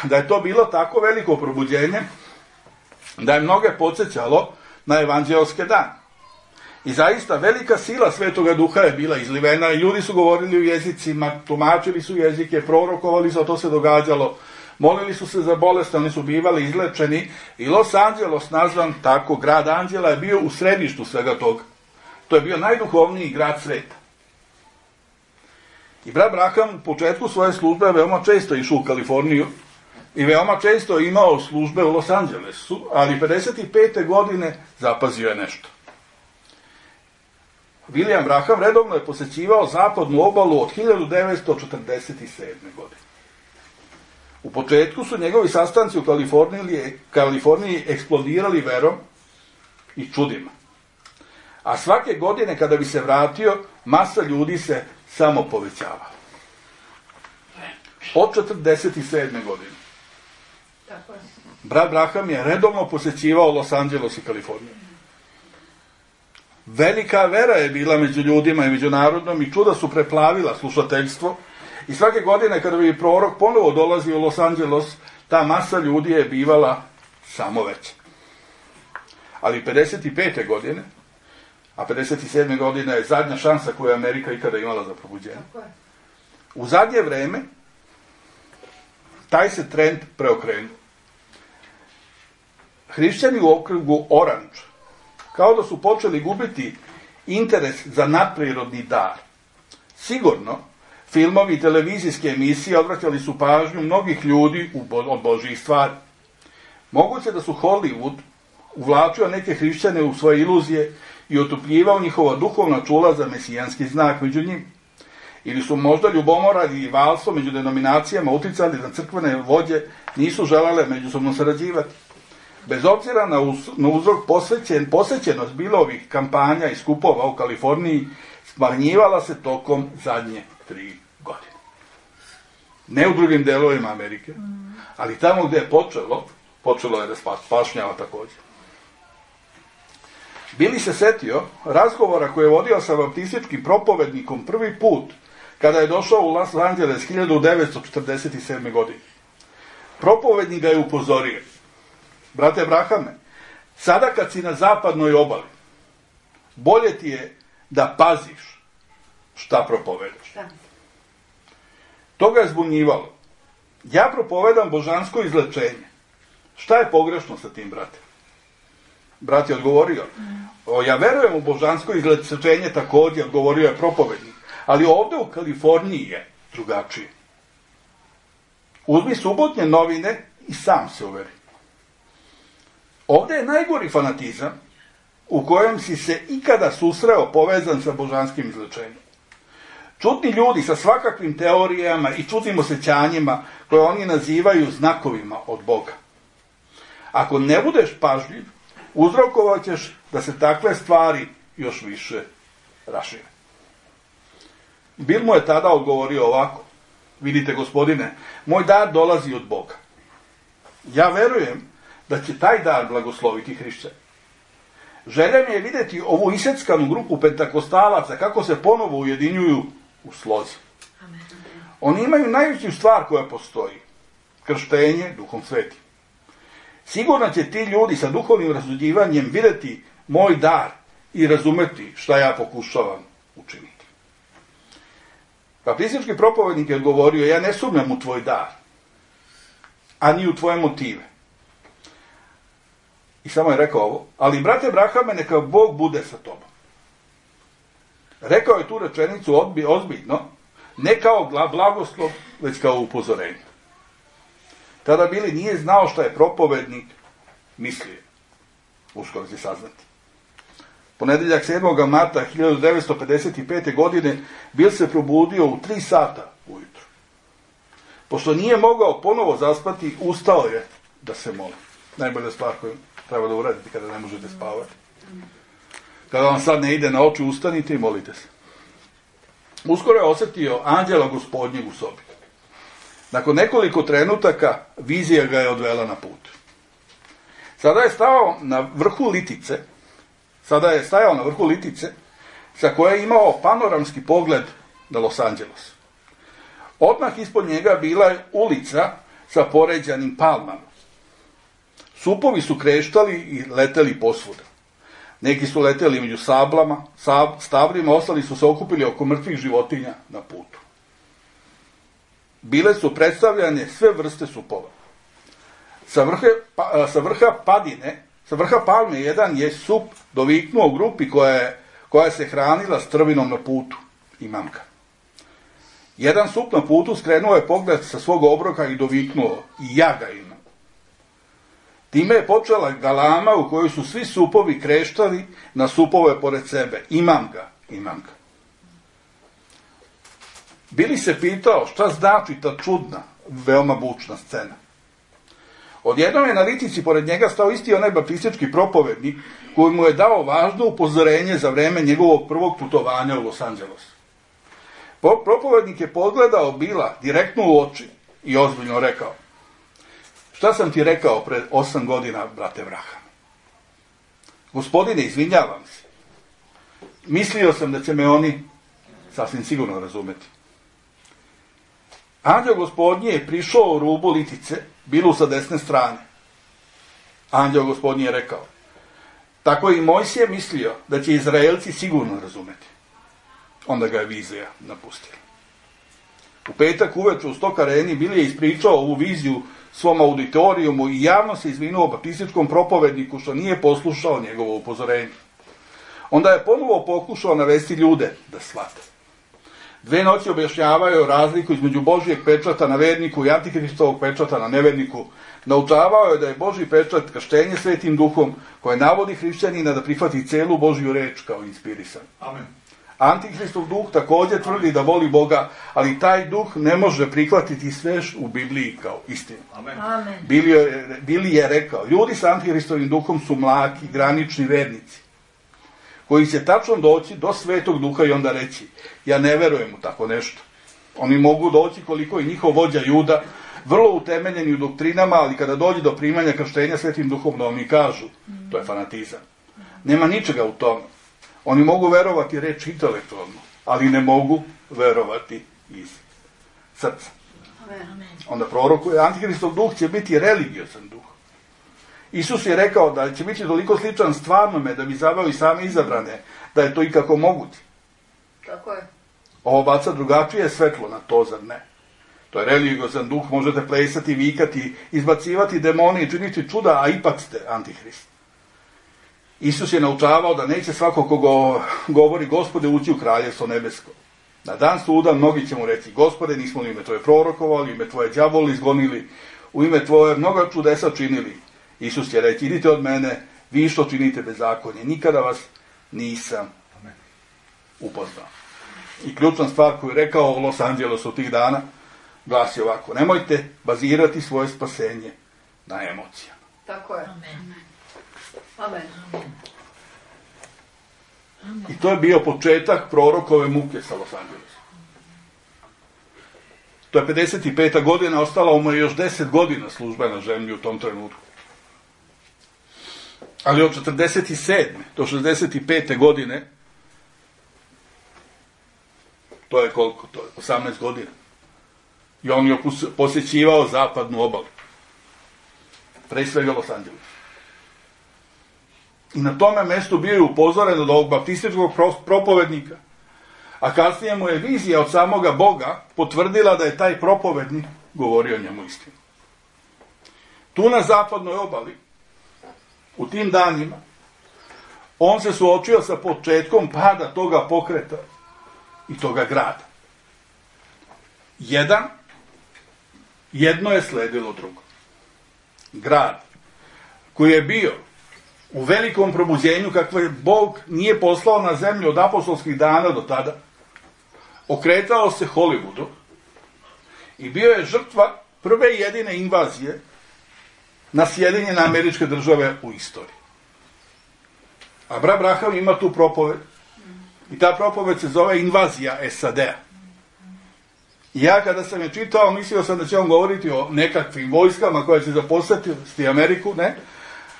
Da je to bilo tako veliko probuđenje, da je mnoge podsjećalo na evanđelske dane. I zaista velika sila Svetoga Duha je bila izlivena i ljudi su govorili u jezicima, tumačili su jezike, prorokovali su, a to se događalo. Molili su se za bolest, oni su bivali izlečeni i Los Angeles, nazvan tako grad anđela, je bio u središtu svega toga. To je bio najduhovniji grad sveta. I brat Abraham u početku svoje službe veoma često išao u Kaliforniju i veoma često imao službe u Los Angelesu, ali pedeset pete. godine zapazio je nešto. William Branham redovno je posećivao zapadnu obalu od hiljadu devetsto četrdeset sedme. godine. U početku su njegovi sastanci u Kaliforniji, Kaliforniji eksplodirali verom i čudima. A svake godine kada bi se vratio, masa ljudi se samo povećavala. Od četrdeset sedme. godine. Tako je. Brat Branham je redovno posećivao Los Angeles i Kaliforniju. Velika vera je bila među ljudima i međunarodnom i čuda su preplavila slušateljstvo. I svake godine kada bi prorok ponovo dolazio u Los Angeles, ta masa ljudi je bivala samo veća. Ali pedeset pete. godine, a pedeset sedme. godina je zadnja šansa koju je Amerika ikada imala za probuđenje. U zadnje vreme taj se trend preokrenuo. Hrišćani u okrugu Orange kao da su počeli gubiti interes za nadprirodni dar. Sigurno, filmovi i televizijske emisije odvraćali su pažnju mnogih ljudi od Božjih stvari. Moguće da su Hollywood uvlačio neke hrišćane u svoje iluzije i otupljivao njihova duhovna čula za mesijanski znak među njim. Ili su možda ljubomora i valstvo među denominacijama uticali da crkvene vođe nisu želele međusobno sarađivati. Bez obzira na, uz, na uzrok posvećen, posvećenost bilo ovih kampanja i skupova u Kaliforniji smanjivala se tokom zadnje tri godine. Ne u drugim delovima Amerike, ali tamo gde je počelo, počelo je da spašnjava također. Bili se setio razgovora koje je vodio sa baptističkim propovednikom prvi put kada je došao u Los Angeles hiljadu devetsto četrdeset sedme. godine. Propovednik ga je upozorio: brate Abrahame, sada kad si na zapadnoj obali, bolje ti je da paziš šta propovedaš. To ga je zbunjivalo. Ja propovedam božansko izlečenje. Šta je pogrešno sa tim, brate? Brat je odgovorio: o, ja verujem u božansko izlečenje također, odgovorio je propovednik, ali ovdje u Kaliforniji je drugačije. Uzmi subotnje novine i sam se uveri. Ovdje je najgori fanatizam u kojem si se ikada susreo povezan sa božanskim izlečenjem. Čudni ljudi sa svakakvim teorijama i čudnim osjećanjima koje oni nazivaju znakovima od Boga. Ako ne budeš pažljiv, uzrokovat ćeš da se takve stvari još više rašire. Bill mu je tada odgovorio ovako: vidite, gospodine, moj dar dolazi od Boga. Ja verujem da će taj dar blagosloviti hrišćane. Želja mi je vidjeti ovu iseckanu grupu pentakostalaca kako se ponovo ujedinjuju u slozi. Oni imaju najveću stvar koja postoji: krštenje Duhom Svetim. Sigurno će ti ljudi sa duhovnim razuđivanjem vidjeti moj dar i razumeti šta ja pokušavam učiniti. Baptistički propovednik je odgovorio: ja ne sumnjam u tvoj dar, ani u tvoje motive. I samo je rekao ovo: ali brate Abrahame, neka Bog bude sa tobom. Rekao je tu rečenicu ozbiljno, ne kao blagoslov, već kao upozorenje. Tada Bili nije znao šta je propovednik mislio. Uskoro će saznati. Ponedeljak sedmog marta hiljadu devetsto pedeset pete. godine Bil se probudio u tri sata ujutru. Pošto nije mogao ponovo zaspati, ustao je da se moli. Najbolja stvar koju treba da uradite kada ne možete spavati. Kada vam sad ne ide na oči, ustanite i molite se. Uskoro je osjetio anđela Gospodnjeg u sobi. Nakon nekoliko trenutaka vizija ga je odvela na put. Sada je stao na vrhu litice, sada je stajao na vrhu litice sa koje je imao panoramski pogled na Los Angeles. Odmah ispod njega bila je ulica sa poređanim palmama. Supovi su kreštali i leteli posvuda. Neki su leteli među sablama, sab, stablima, ostali su se okupili oko mrtvih životinja na putu. Bile su predstavljane sve vrste supova. Sa vrha, pa, sa vrha padine, sa vrha palme jedan je sup doviknuo grupi koja, je, koja se hranila strvinom na putu i mamka. Jedan sup na putu skrenuo je pogled sa svog obroka i doviknuo, i ja ga imam. Time je počela galama u kojoj su svi supovi kreštali na supove pored sebe. Imam ga, imam ga. Bili se pitao šta znači ta čudna, veoma bučna scena. Odjednom je na litici pored njega stao isti onaj baptistički propovednik koji mu je dao važno upozorenje za vreme njegovog prvog putovanja u Los Angeles. Propovednik je pogledao Bila direktno u oči i ozbiljno rekao: šta sam ti rekao pred osam godina, brate Vraham? Gospodine, izvinjavam se. Mislio sam da će me oni sasvim sigurno razumeti. Anđeo Gospodnji je prišao u rubu litice, Bilu sa desne strane. Anđeo Gospodnji je rekao: tako i Mojsije mislio da će Izraelci sigurno razumeti. Onda ga je vizija napustila. U petak uveče u Stock Areni Bil je ispričao ovu viziju svom auditorijumu i javno se izvinuo baptističkom propovedniku što nije poslušao njegovo upozorenje. Onda je ponovo pokušao navesti ljude da shvate. Dve noći objašnjavaju razliku između Božijeg pečata na verniku i Antikristovog pečata na neverniku. Naučavao je da je Božji pečat krštenje Svetim Duhom koje navodi hrišćanina da prihvati celu Božju reč kao inspirisan. Amen. Antikristov duh također tvrdi da voli Boga, ali taj duh ne može prihvatiti sve u Bibliji kao istinu. Amen. Amen. Bili, je, Bili je rekao, ljudi sa Antikristovim duhom su mlaki, granični vernici, koji će tačno doći do Svetog Duha i onda reći: ja ne verujem u tako nešto. Oni mogu doći koliko i njihov vođa Juda, vrlo utemeljeni u doktrinama, ali kada dođe do primanja krštenja Svetim Duhom, da oni kažu, to je fanatizam. Nema ničega u tome. Oni mogu verovati reč intelektualno, ali ne mogu verovati iz srca. Amen. Onda prorokuje, Antikristov duh će biti religiozan duh. Isus je rekao da će biti toliko sličan stvarnome da bi zaveo i same izabrane, da je to ikako moguće. Tako je. Ovo baca drugačije svetlo na to, zar ne? To je religiozan duh, možete plesati, vikati, izbacivati demone i činiti čuda, a ipak ste Antihrist. Isus je naučavao da neće svako ko go, govori Gospode ući u kraljevstvo nebesko. Na dan suda mnogi će mu reći: Gospode, nismo u ime Tvoje prorokovali, ime Tvoje đavoli izgonili, u ime Tvoje mnoga čudesa činili. Isus će reći: idite od mene, vi što činite bezakonje, nikada vas nisam upoznao. I ključna stvar koju je rekao u Los Angelesu tih dana glasi ovako: nemojte bazirati svoje spasenje na emocijama. Tako je. Amen. Amen. I to je bio početak prorokove muke sa Los Angelesom. To je pedeset peta godina, ostalo mu je još deset godina službe na zemlji u tom trenutku. Ali od četrdeset sedme do šezdeset pete godine, to je koliko? To je osamnaest godina. I on je posjećivao zapadnu obalu. Pre svega Los Angeles. I na tome mjestu bio je upozoren od ovog baptističkog propovednika. A kasnije mu je vizija od samoga Boga potvrdila da je taj propovednik govorio njemu istinu. Tu na zapadnoj obali, u tim danima, on se suočio sa početkom pada toga pokreta i toga grada. Jedan, jedno je sledilo drugo. grad koji je bio u velikom probuđenju kakvo je Bog nije poslao na zemlju od apostolskih dana do tada, okretao se Hollywoodu i bio je žrtva prve i jedine invazije na Sjedinjene Američke Države u istoriji. A brat Branham ima tu propoved i ta propoved se zove Invazija S A D-a. I ja kada sam je čitao, mislio sam da će on govoriti o nekakvim vojskama koje će zaposliti Ameriku, ne?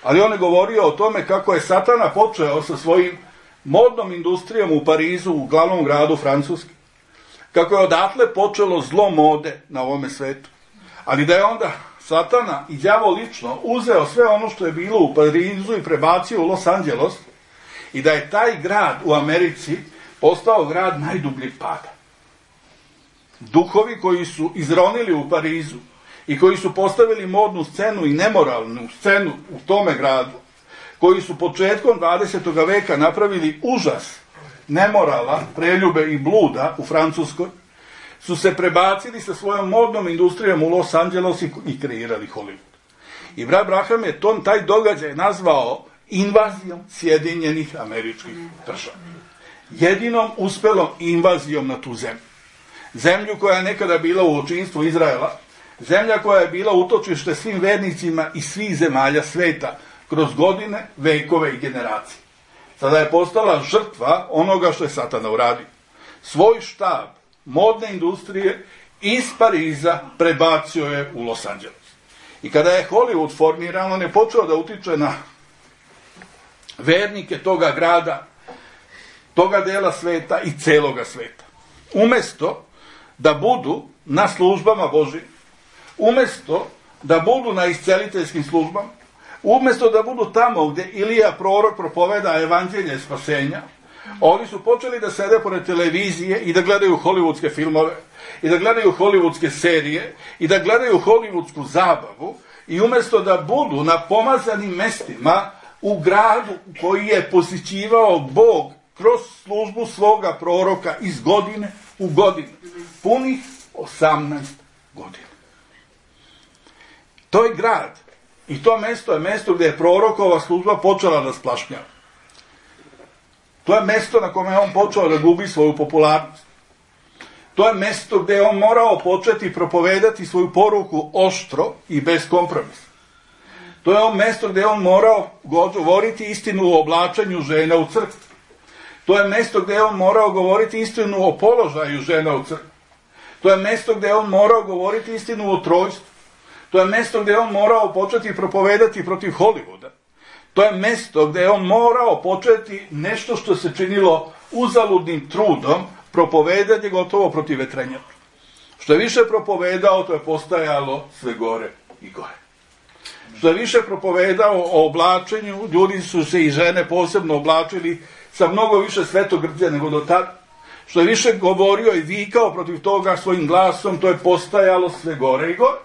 Ali on je govorio o tome kako je Satana počeo sa svojim modnom industrijom u Parizu, u glavnom gradu Francuske. Kako je odatle počelo zlo mode na ovome svetu. Ali da je onda Satana i đavo lično uzeo sve ono što je bilo u Parizu i prebacio u Los Angeles i da je taj grad u Americi postao grad najdubljeg pada. Duhovi koji su izronili u Parizu i koji su postavili modnu scenu i nemoralnu scenu u tome gradu, koji su početkom dvadesetog veka napravili užas nemorala, preljube i bluda u Francuskoj, su se prebacili sa svojom modnom industrijom u Los Angeles i kreirali Hollywood. I brat Branham je ton, taj događaj nazvao invazijom Sjedinjenih Američkih Država. Jedinom uspelom invazijom na tu zemlju. Zemlju koja je nekada bila u očinstvu Izraela, zemlja koja je bila utočište svim vernicima i svih zemalja sveta kroz godine, vekove i generacije. Sada je postala žrtva onoga što je Satana uradio. Svoj štab modne industrije iz Pariza prebacio je u Los Angeles. I kada je Hollywood formiran, on je počeo da utiče na vernike toga grada, toga dela sveta i celoga sveta. Umesto da budu na službama Božijim, umesto da budu na isceliteljskim službama, umesto da budu tamo gde Ilija prorok propoveda evanđelje spasenja, oni su počeli da sede pored televizije i da gledaju hollywoodske filmove, i da gledaju hollywoodske serije, i da gledaju hollywoodsku zabavu, i umesto da budu na pomazanim mestima u gradu koji je posjećivao Bog kroz službu svoga proroka iz godine u godinu, punih osamnaest godina. To je grad i to mesto je mesto gde je prorokova služba počela da splašnjava. To je mesto na kome je on počeo da gubi svoju popularnost. To je mesto gde je on morao početi propovedati svoju poruku oštro i bez kompromisa. To je on mesto gde je on morao govoriti istinu o oblačenju žena u crkvi. To je mesto gde je on morao govoriti istinu o položaju žena u crkvi. To je mesto gde je on morao govoriti istinu o trojstvu. To je mesto gde je on morao početi propovedati protiv Hollywooda. To je mesto gde je on morao početi nešto što se činilo uzaludnim trudom, propovedanje gotovo protiv vetrenja. Što je više propovedao, to je postajalo sve gore i gore. Što je više propovedao o oblačenju, ljudi su se i žene posebno oblačili sa mnogo više svetogrđe nego do tada. Što je više govorio i vikao protiv toga svojim glasom, to je postajalo sve gore i gore.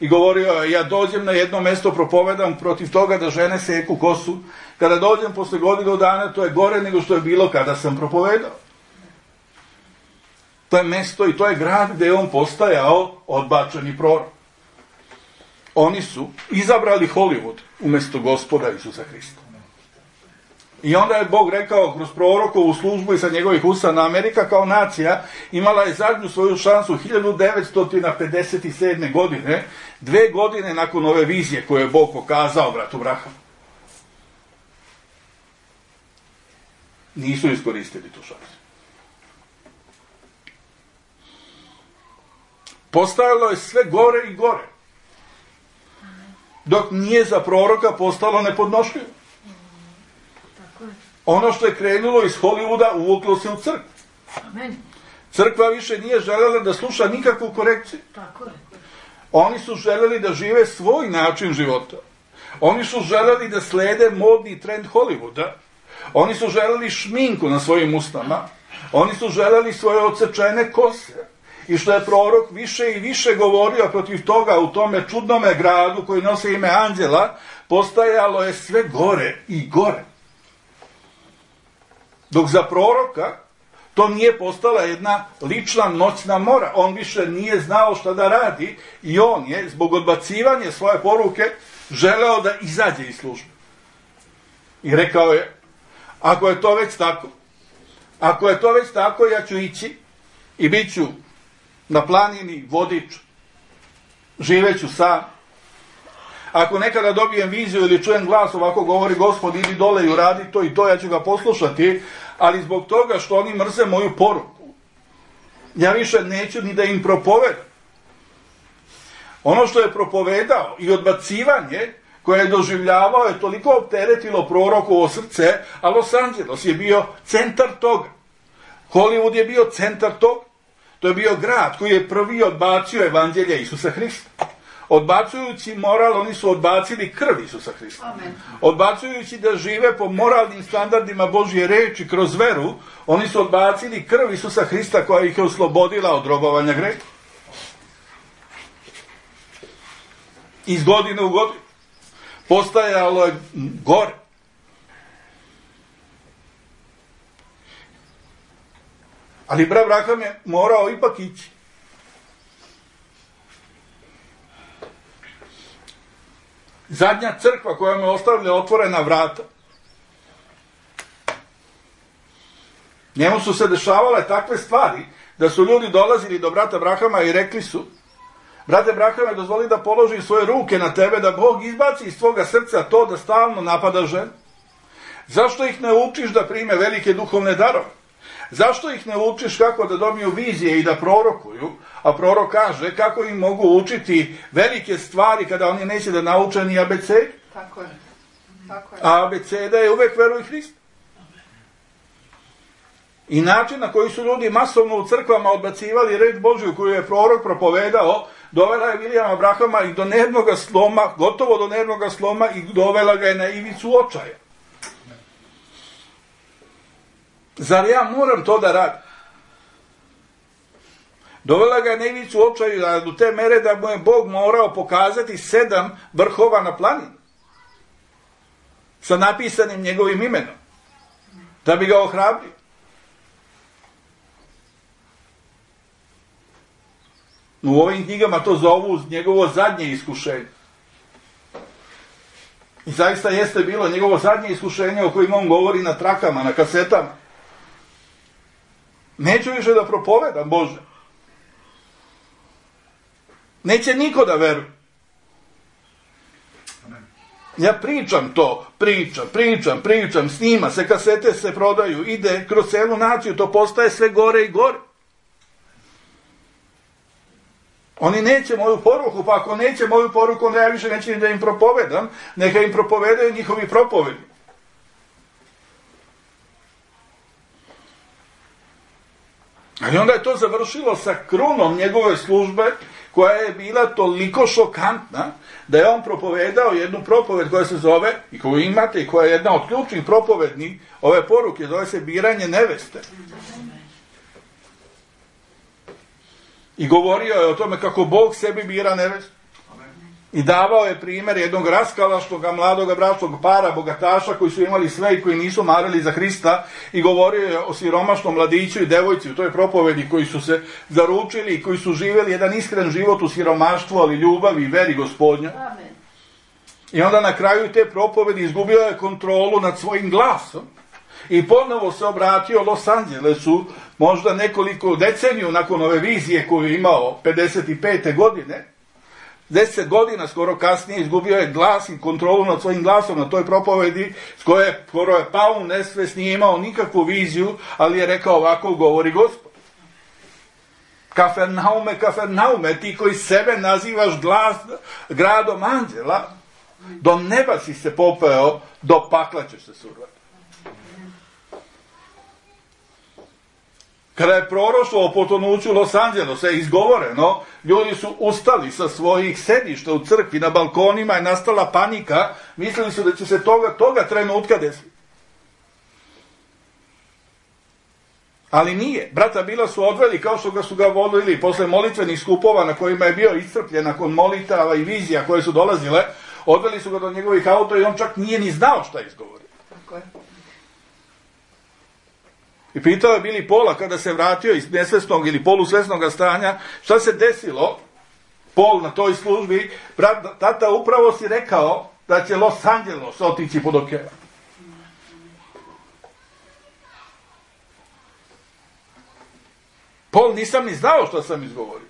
I govorio je, ja dođem na jedno mesto, propovedam protiv toga da žene seku kosu. Kada dođem posle godinu dana, to je gore nego što je bilo kada sam propovedao. To je mesto i to je grad gde je on postajao odbačeni prorok. Oni su izabrali Hollywood umesto Gospoda Isusa Hrista. I onda je Bog rekao kroz prorokovu službu i sa njegovih usana, Amerika kao nacija imala je zadnju svoju šansu hiljadu devetsto pedeset sedme. godine, dve godine nakon ove vizije koje je Bog pokazao bratu Branhamu. Nisu iskoristili tu šansu. Postajalo je sve gore i gore. Dok nije za proroka postalo nepodnošljivo. Ono što je krenulo iz Hollywooda uvuklo se u crkvu. Amen. Crkva više nije želela da sluša nikakvu korekciju. Tako je. Oni su želeli da žive svoj način života. Oni su želeli da slede modni trend Hollywooda. Oni su želeli šminku na svojim usnama. Oni su želeli svoje odsečene kose. I što je prorok više i više govorio protiv toga u tome čudnome gradu koji nose ime Anđela, postajalo je sve gore i gore. Dok za proroka To nije postala jedna lična noćna mora. On više nije znao šta da radi i on je, zbog odbacivanja svoje poruke, želeo da izađe iz službe. I rekao je, ako je to već tako, ako je to već tako, ja ću ići i bit ću na planini vodič, živeću sam. Ako nekada dobijem viziju ili čujem glas, ovako govori Gospod, idi dole i uradi to i to, ja ću ga poslušati, ali zbog toga što oni mrze moju poruku, ja više neću ni da im propovedam. Ono što je propovedao i odbacivanje koje je doživljavao je toliko opteretilo prorokovo srce, a Los Angeles je bio centar toga. Hollywood je bio centar toga. To je bio grad koji je prvi odbacio evanđelje Isusa Hrista. Odbacujući moral, oni su odbacili krv Isusa Hrista. Amen. Odbacujući da žive po moralnim standardima Božje reči kroz veru, oni su odbacili krv Isusa Hrista koja ih je oslobodila od robovanja greha. Iz godine u godinu postajalo je gore. Ali brat Branham je morao ipak ići. Zadnja crkva koja mu ostavlja otvorena vrata. Njemu su se dešavale takve stvari da su ljudi dolazili do brata Branhama i rekli su: brate Branhame, dozvoli da položim svoje ruke na tebe, da Bog izbaci iz tvoga srca to da stalno napada ženu. Zašto ih ne učiš da prime velike duhovne darove? Zašto ih ne učiš kako da dobiju vizije i da prorokuju? A prorok kaže kako im mogu učiti velike stvari kada oni neće da nauče ni abecedu. Tako je. Tako je. A abeceda je uvek veruj Hrista. I način na koji su ljudi masovno u crkvama odbacivali reč Božju koju je prorok propovedao, dovela je Vilijama Branhama i do nervnog sloma, gotovo do nervnog sloma, i dovela ga je na ivicu očaja. Zar ja moram to da radim? Dovela ga je na ivicu očaja do te mere da mu je Bog morao pokazati sedam vrhova na planini sa napisanim njegovim imenom, da bi ga ohrabrio. U ovim knjigama to zovu njegovo zadnje iskušenje. I zaista jeste bilo njegovo zadnje iskušenje o kojim on govori na trakama, na kasetama. Neću više da propovedam, Bože. Neće niko da veruje. Ja pričam to, pričam, pričam, pričam, snima se, kasete se prodaju, ide kroz celu naciju, to postaje sve gore i gore. Oni neće moju poruku, pa ako neće moju poruku, onda ja više neću da im propovedam, neka im propovedaju njihovi propovedi. Ali onda je to završilo sa krunom njegove službe, koja je bila toliko šokantna, da je on propovedao jednu propoved koja se zove, i koju imate, i koja je jedna od ključnih propovednih ove poruke, zove se biranje neveste. I govorio je o tome kako Bog sebi bira nevestu. I davao je primjer jednog raskalaštoga, mladoga bračnog para, bogataša, koji su imali sve i koji nisu marili za Hrista, i govorio je o siromašnom mladiću i devojci u toj propovedi, koji su se zaručili i koji su živjeli jedan iskren život u siromaštvu, ali ljubavi i veri Gospodnja. Amen. I onda na kraju te propovedi izgubio je kontrolu nad svojim glasom i ponovo se obratio Los Angelesu, možda nekoliko deceniju nakon ove vizije koju je imao pedeset pete godine. Deset godina skoro kasnije izgubio je glas i kontrolu nad svojim glasom na toj propovedi, s koje skoro je pao u nesvest, nije imao nikakvu viziju, ali je rekao ovako govori Gospod. Kafernaume, Kafernaume, ti koji sebe nazivaš glas, gradom anđela, do neba si se popeo, do pakla ćeš se survati. Kada je proroštvo o potonuću Los Angelesa izgovoreno, ljudi su ustali sa svojih sedišta u crkvi, na balkonima je nastala panika, mislili su da će se toga, toga trenutka desiti. Ali nije. Brata Bila su odveli kao što ga su ga vodili posle molitvenih skupova na kojima je bio iscrpljen nakon molitava i vizija koje su dolazile, odveli su ga do njegovih auta i on čak nije ni znao šta izgovori. Tako je. I pitao je Billy Paula kada se vratio iz nesvesnog ili polusvesnog stanja, šta se desilo, Paul na toj službi, brat, tata, upravo si rekao da će Los Angeles otići pod okean. Paul, nisam ni znao što sam izgovorio.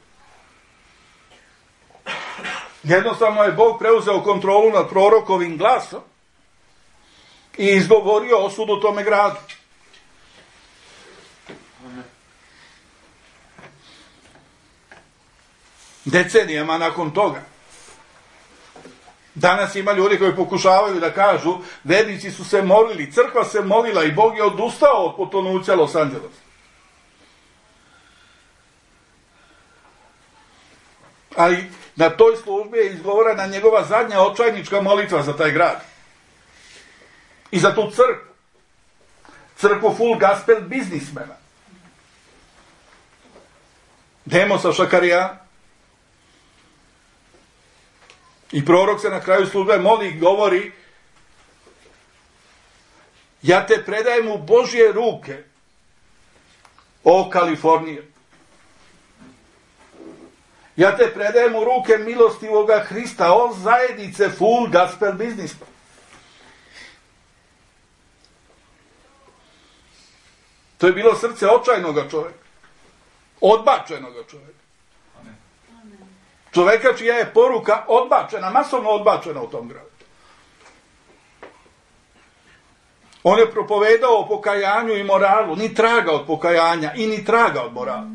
Jednostavno je Bog preuzeo kontrolu nad prorokovim glasom i izgovorio osudu tome gradu. Decenijama nakon toga. Danas ima ljudi koji pokušavaju da kažu, vernici su se molili, crkva se molila i Bog je odustao od potonuća Los Angelesa. Ali na toj službi je izgovorena njegova zadnja očajnička molitva za taj grad. I za tu crkvu. Crkvu full gospel biznismena. Demosa Šakarijana. I prorok se na kraju službe moli i govori, ja te predajem u Božje ruke, o Kalifornija. Ja te predajem u ruke milostivoga Hrista, o zajednice full gospel biznisma. To je bilo srce očajnoga čovjeka. Odbačenoga čovjeka. Čovjeka čija je poruka odbačena, masovno odbačena u tom gradu. On je propovedao o pokajanju i moralu, ni traga od pokajanja i ni traga od morala.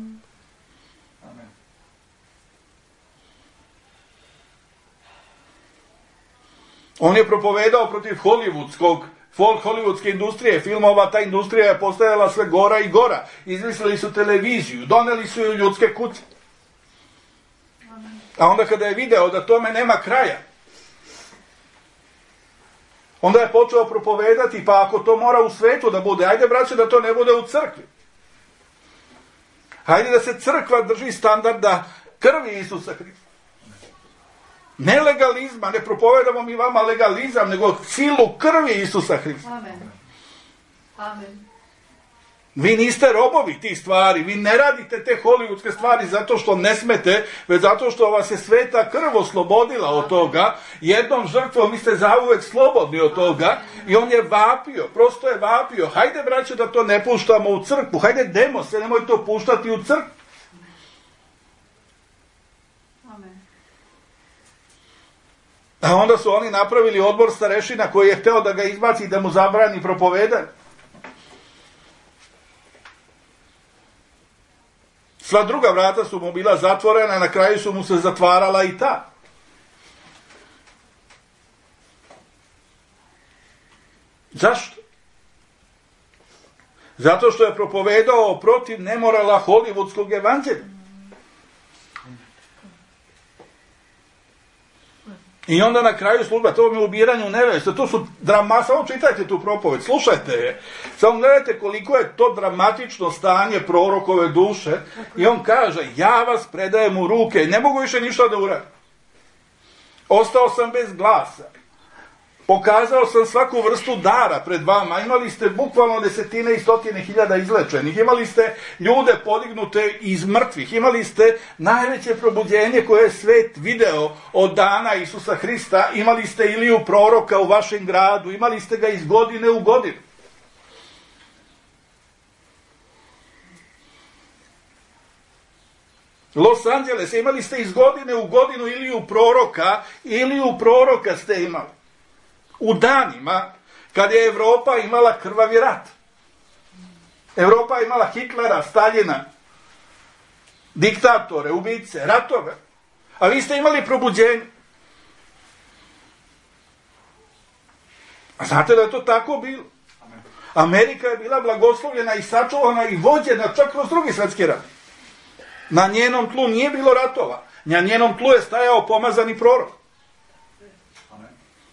On je propovedao protiv hollywoodskog, hollywoodske industrije, filmova, ta industrija je postajala sve gora i gora. Izmislili su televiziju, doneli su ju ljudske kuće. A onda kada je video da tome nema kraja, onda je počeo propovedati, pa ako to mora u svetu da bude, ajde braće da to ne bude u crkvi. Hajde da se crkva drži standarda krvi Isusa Hrista. Ne legalizma, ne propovedamo mi vama legalizam, nego silu krvi Isusa Hrista. Amen. Amen. Vi niste robovi tih stvari, vi ne radite te hollywoodske stvari zato što ne smete, već zato što vas je sveta krv oslobodila od toga, jednom žrtvom vi ste zauvek slobodni od toga i on je vapio, prosto je vapio, hajde braće da to ne puštamo u crkvu, hajde demo se, nemoj to puštati u crkvu. A onda su oni napravili odbor starešina koji je hteo da ga izbaci i da mu zabrani propovedanje. Sva druga vrata su mu bila zatvorena, na kraju su mu se zatvarala i ta. Zašto? Zato što je propovedao protiv nemorala hollywoodskog evanđelja. I onda na kraju služba, to vam je ubiranju neveste, to su drama, samo čitajte tu propoved, slušajte je, samo gledajte koliko je to dramatično stanje prorokove duše i on kaže, ja vas predajem u ruke, ne mogu više ništa da uradim. Ostao sam bez glasa, pokazao sam svaku vrstu dara pred vama, imali ste bukvalno desetine i stotine hiljada izlečenih, imali ste ljude podignute iz mrtvih, imali ste najveće probuđenje koje je svet video od dana Isusa Hrista, imali ste Iliju proroka u vašem gradu, imali ste ga iz godine u godinu. Los Angeles, imali ste iz godine u godinu Iliju proroka, Iliju proroka ste imali. U danima kad je Evropa imala krvavi rat. Evropa je imala Hitlera, Staljina, diktatore, ubice, ratove. A vi ste imali probuđenje. A znate da je to tako bilo? Amerika je bila blagoslovljena i sačuvana i vođena čak kroz drugi svjetski rat. Na njenom tlu nije bilo ratova. Na njenom tlu je stajao pomazani prorok.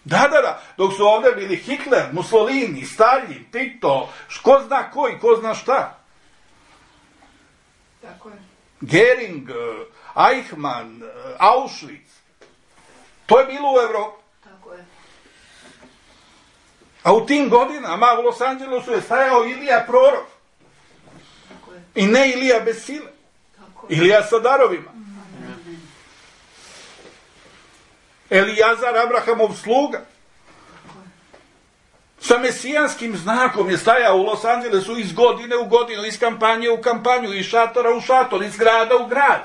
Da, da, da, dok su ovdje bili Hitler, Mussolini, Stalin, Tito, ko zna koji, ko zna šta. Tako je. Gering, Eichmann, Auschwitz. To je bilo u Evropi. Tako je. A u tim godinama u Los Angelesu je stajao Ilija prorok. I ne Ilija bez sile. Ilija sa darovima. Elijazar, Abrahamov sluga. Sa mesijanskim znakom je stajao u Los Angelesu iz godine u godinu, iz kampanje u kampanju, iz šatora u šator, iz grada u grad.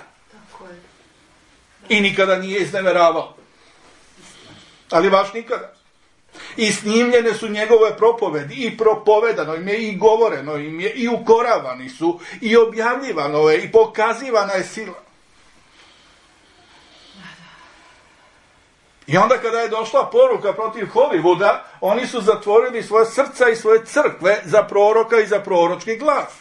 I nikada nije izneveravao. Ali baš nikada. I snimljene su njegove propovedi, i propovedano im je, i govoreno im je, i ukoravani su, i objavljivano je, i pokazivana je sila. I onda kada je došla poruka protiv Hollywooda, oni su zatvorili svoje srca i svoje crkve za proroka i za proročki glas.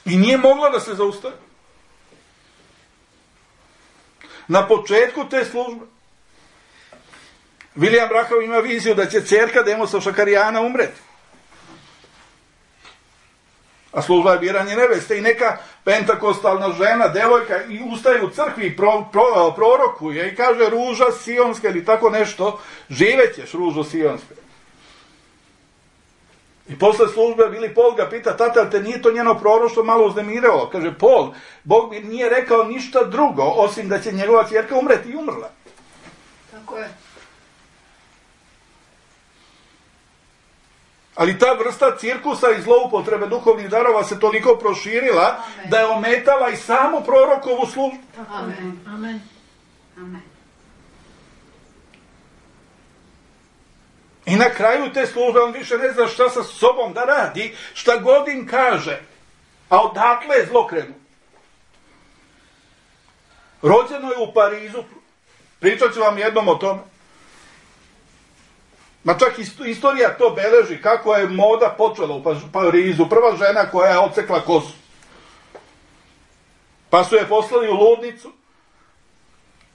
I nije mogla da se zaustavi. Na početku te službe William Branham ima viziju da će ćerka Demosa Šakarijana umreti. A služba je biranje neveste i neka pentakostalna žena, devojka, i ustaje u crkvi i pro, pro, prorokuje i kaže ruža sionska ili tako nešto, živećeš ružo sionska. I posle službe Billy Paul ga pita, tata, te nije to njeno proroštvo malo uznemiralo? Kaže, Paul, Bog mi nije rekao ništa drugo, osim da će njegova ćerka umreti, i umrla. Tako je. Ali ta vrsta cirkusa i zloupotrebe duhovnih darova se toliko proširila, amen, da je ometala i samu prorokovu službu. Amen. Amen. Amen. I na kraju te službe on više ne zna šta sa sobom da radi, šta god im kaže. A odatle je zlo krenuo. Rođeno je u Parizu, pričat ću vam jednom o tome. Ma čak istorija to beleži, kako je moda počela u Parizu. Prva žena koja je odsekla kosu. Pa su je poslali u ludnicu,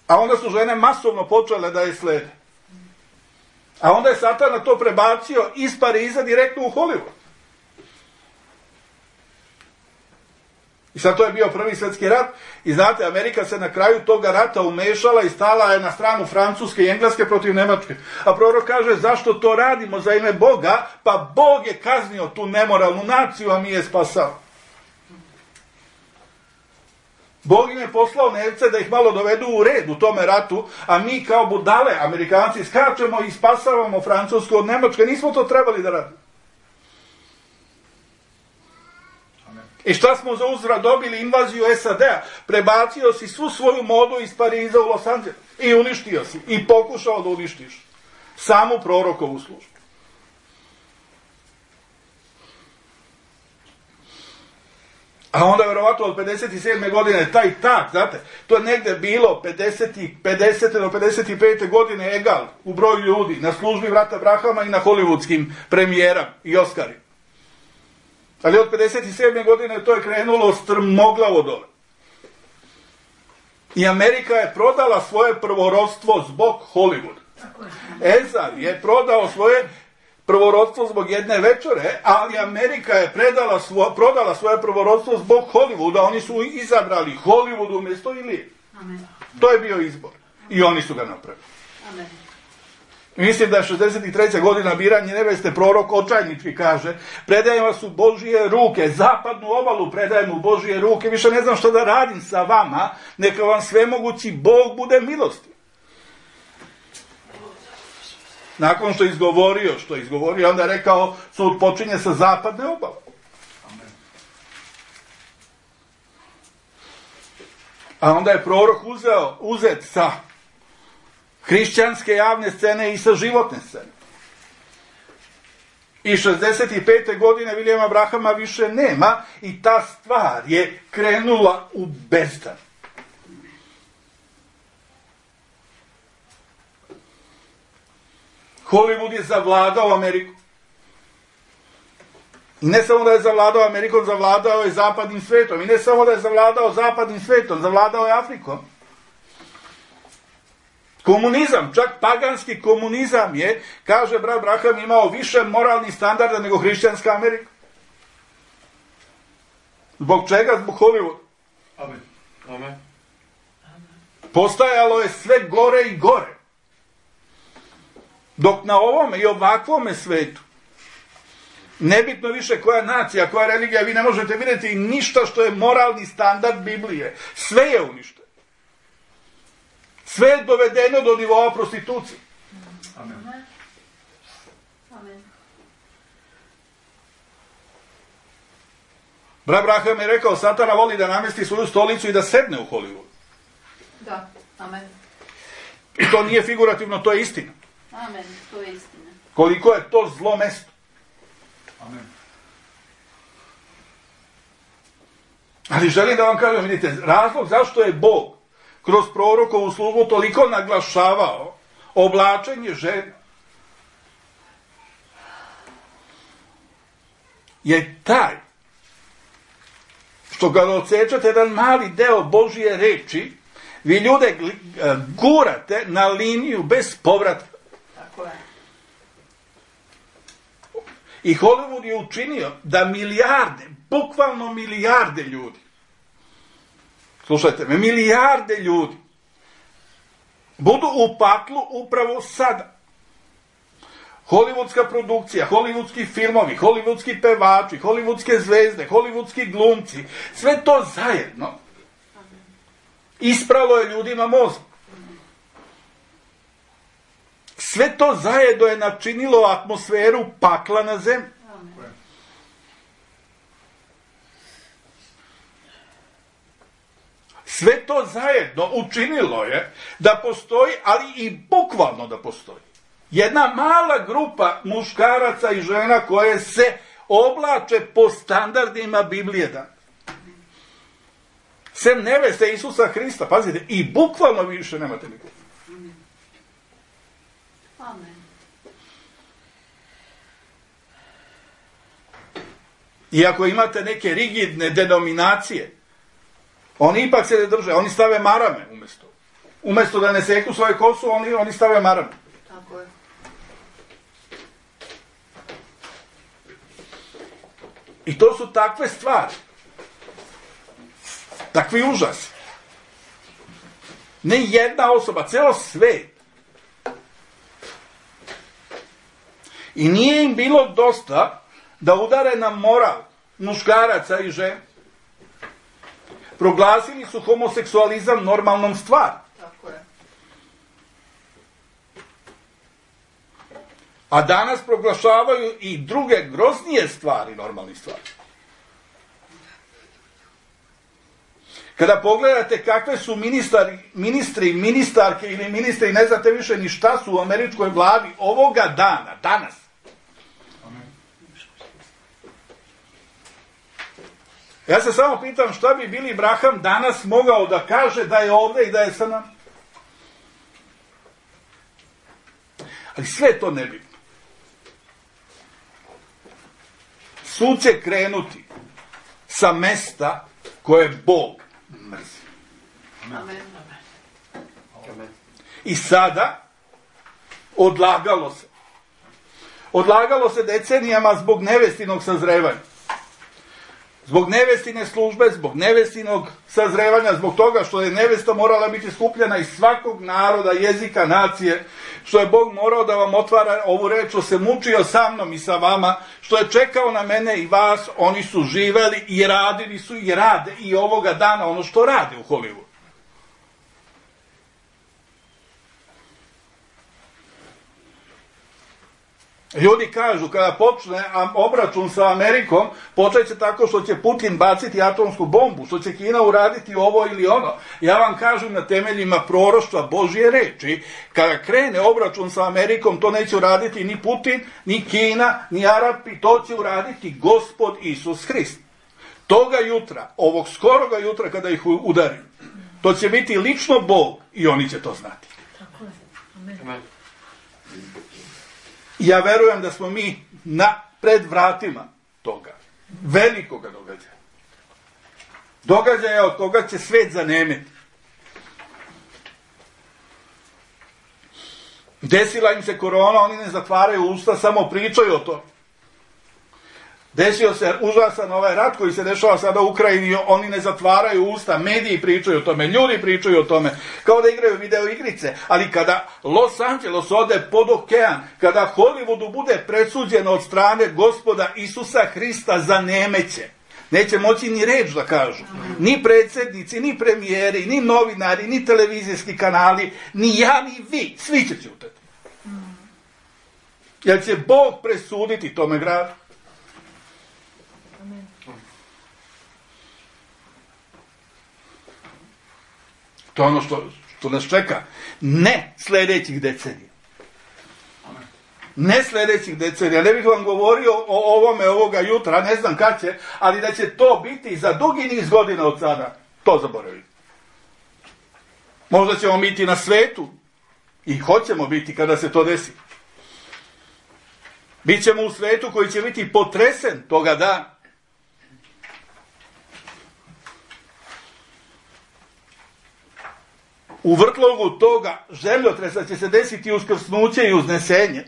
a onda su žene masovno počele da je slede. A onda je Satan to prebacio iz Pariza direktno u Hollywood. I sad to je bio prvi svjetski rat i znate, Amerika se na kraju toga rata umešala i stala je na stranu Francuske i Engleske protiv Nemačke. A prorok kaže, zašto to radimo za ime Boga? Pa Bog je kaznio tu nemoralnu naciju, a mi je spasao. Bog im je poslao nevce da ih malo dovedu u red u tome ratu, a mi kao budale, Amerikanci, skačemo i spasavamo Francusku od Nemačke. Nismo to trebali da radimo. I šta smo za uzvrat dobili? Invaziju S A D-a. Prebacio si svu svoju modu iz Pariza u Los Angeles. I uništio si. I pokušao da uništiš samu prorokovu službu. A onda je verovatno od pedeset sedme godine taj tak, znate, to je negde bilo pedesete do pedeset pete godine egal u broju ljudi na službi brata Brahama i na hollywoodskim premijerama i Oscarima. Ali od pedeset sedme godine to je krenulo strmoglavo dole. I Amerika je prodala svoje prvorodstvo zbog Hollywooda. Ezar je prodao svoje prvorodstvo zbog jedne večere, ali Amerika je predala svo, prodala svoje prvorodstvo zbog Hollywooda. Oni su izabrali Hollywood umjesto Ilije. Amen. To je bio izbor. I oni su ga napravili. Amen. Mislim da je šezdeset treća godina biranje neveste, prorok očajnički kaže, predajem vas u Božije ruke, zapadnu obalu predajem u Božije ruke, više ne znam što da radim sa vama, neka vam svemogući Bog bude milosti. Nakon što je izgovorio, što je izgovorio, onda je rekao, sud počinje sa zapadne obale. A onda je prorok uzeo, uzet sa hrišćanske javne scene i sa životne scene. I šezdeset pete godine Williama Branhama više nema i ta stvar je krenula u bezdan. Hollywood je zavladao Ameriku. I ne samo da je zavladao Amerikom, zavladao je zapadnim svetom. I ne samo da je zavladao zapadnim svetom, zavladao je Afrikom. Komunizam, čak paganski komunizam je, kaže brat Branham, imao više moralnih standarda nego hrišćanska Amerika. Zbog čega? Zbog Hollywood. Amen. Amen. Postajalo je sve gore i gore. Dok na ovome i ovakvome svetu, nebitno više koja nacija, koja religija, vi ne možete vidjeti ništa što je moralni standard Biblije. Sve je uništeno. Sve je dovedeno do nivoa prostitucije. Amen. Amen. Brat Braham je rekao, Satana voli da namesti svoju stolicu i da sedne u Hollywoodu. Da, amen. I to nije figurativno, to je istina. Amen, to je istina. Koliko je to zlo mesto. Amen. Ali želim da vam kažem, vidite, razlog zašto je Bog kroz prorokovu službu toliko naglašavao oblačenje žena je taj što kada odsečete jedan mali deo Božje reči, vi ljude gurate na liniju bez povratka. Tako je. I Hollywood je učinio da milijarde, bukvalno milijarde ljudi, slušajte me, milijarde ljudi budu u paklu upravo sada. Hollywoodska produkcija, hollywoodski filmovi, hollywoodski pevači, hollywoodske zvezde, hollywoodski glumci, sve to zajedno ispralo je ljudima mozak. Sve to zajedno je načinilo atmosferu pakla na zemlji. Sve to zajedno učinilo je da postoji, ali i bukvalno da postoji, jedna mala grupa muškaraca i žena koje se oblače po standardima Biblije da. Sem neveste Isusa Hrista, pazite, i bukvalno više nemate nikog. Amen. Iako imate neke rigidne denominacije, oni ipak se ne drže, oni stave marame umjesto. Umjesto da ne seku svoje kosu, oni, oni stave marame. Tako je. I to su takve stvari. Takvi užasi. Ne jedna osoba, celo svet. I nije im bilo dosta da udare na moral muškaraca i žena. Proglasili su homoseksualizam normalnom stvari. Tako je. A danas proglašavaju i druge groznije stvari normalni stvari. Kada pogledate kakve su ministari, ministri, ministarke ili ministri, ne znate više ni šta su u američkoj vladi ovoga dana, danas. Ja se samo pitam šta bi Billy Graham danas mogao da kaže da je ovdje i da je sa nama. Ali sve to nebitno. Sud će krenuti sa mesta koje Bog mrzi. Amen. I sada odlagalo se. Odlagalo se decenijama zbog nevestinog sazrevanja. Zbog nevestine službe, zbog nevestinog sazrevanja, zbog toga što je nevesta morala biti skupljena iz svakog naroda, jezika, nacije, što je Bog morao da vam otvara ovu reč, što se mučio sa mnom i sa vama, što je čekao na mene i vas, oni su živeli i radili su i rade i ovoga dana ono što rade u Hollywoodu. Ljudi kažu, kada počne obračun sa Amerikom, počet će tako što će Putin baciti atomsku bombu, što će Kina uraditi ovo ili ono. Ja vam kažem na temeljima proroštva Božje reči, kada krene obračun sa Amerikom, to neće uraditi ni Putin, ni Kina, ni Arapi, to će uraditi Gospod Isus Hrist. Toga jutra, ovog skoroga jutra kada ih udari, to će biti lično Bog i oni će to znati. Tako je. Amen. Amen. Ja verujem da smo mi na pred vratima toga, velikoga događaja. Događaja od toga će svet zanemeti. Desila im se korona, oni ne zatvaraju usta, samo pričaju o to. Desio se užasan ovaj rat koji se dešava sada u Ukrajini, oni ne zatvaraju usta, mediji pričaju o tome, ljudi pričaju o tome, kao da igraju video igrice, ali kada Los Angeles ode pod okean, kada Hollywoodu bude presuđeno od strane Gospoda Isusa Hrista za nemeće, neće moći ni reč da kažu, ni predsjednici, ni premijeri, ni novinari, ni televizijski kanali, ni ja, ni vi, svi će ćutati. Jer će Bog presuditi tome gradu. To je ono što, što nas čeka. Ne sljedećih decenija. Ne sljedećih decenija. Ne bih vam govorio o ovome ovoga jutra, ne znam kad će, ali da će to biti za dugi niz godina od sada. To zaboravite. Možda ćemo biti na svetu i hoćemo biti kada se to desi. Bićemo u svetu koji će biti potresen toga dana. U vrtlogu toga zemljotresa će se desiti uskrsnuće i uznesenje.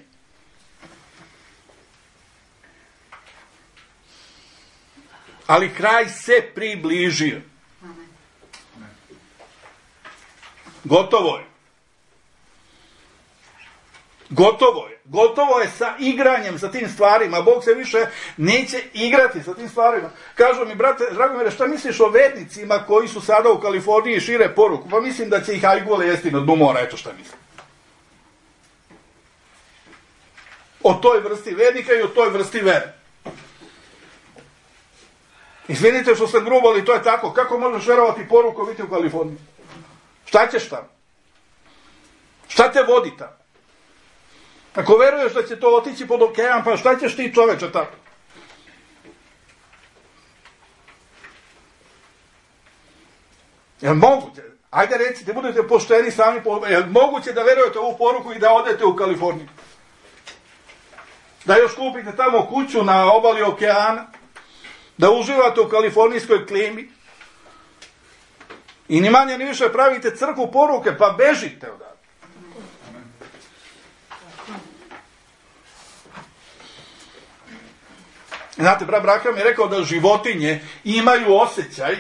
Ali kraj se približio. Gotovo je. Gotovo je. Gotovo je sa igranjem, sa tim stvarima. Bog se više neće igrati sa tim stvarima. Kažu mi, brate, Dragomire, šta misliš o vernicima koji su sada u Kaliforniji i šire poruku? Pa mislim da će ih ajgule jesti na dnu mora, eto šta mislim. O toj vrsti vernika i o toj vrsti vere. Izvinite što sam grubo, ali to je tako. Kako možeš verovati poruku biti u Kaliforniji? Šta ćeš tamo? Šta te vodi tamo? Ako veruješ da će to otići pod okean, pa šta ćeš ti, čoveče, tako? Jel moguće? Ajde recite, budete pošteni sami, po... jel moguće da verujete ovu poruku i da odete u Kaliforniju? Da još kupite tamo kuću na obali okeana, da uživate u kalifornijskoj klimi i ni manje ni više pravite crkvu poruke, pa bežite odavde. Znate, brat Braham je rekao da životinje imaju osjećaj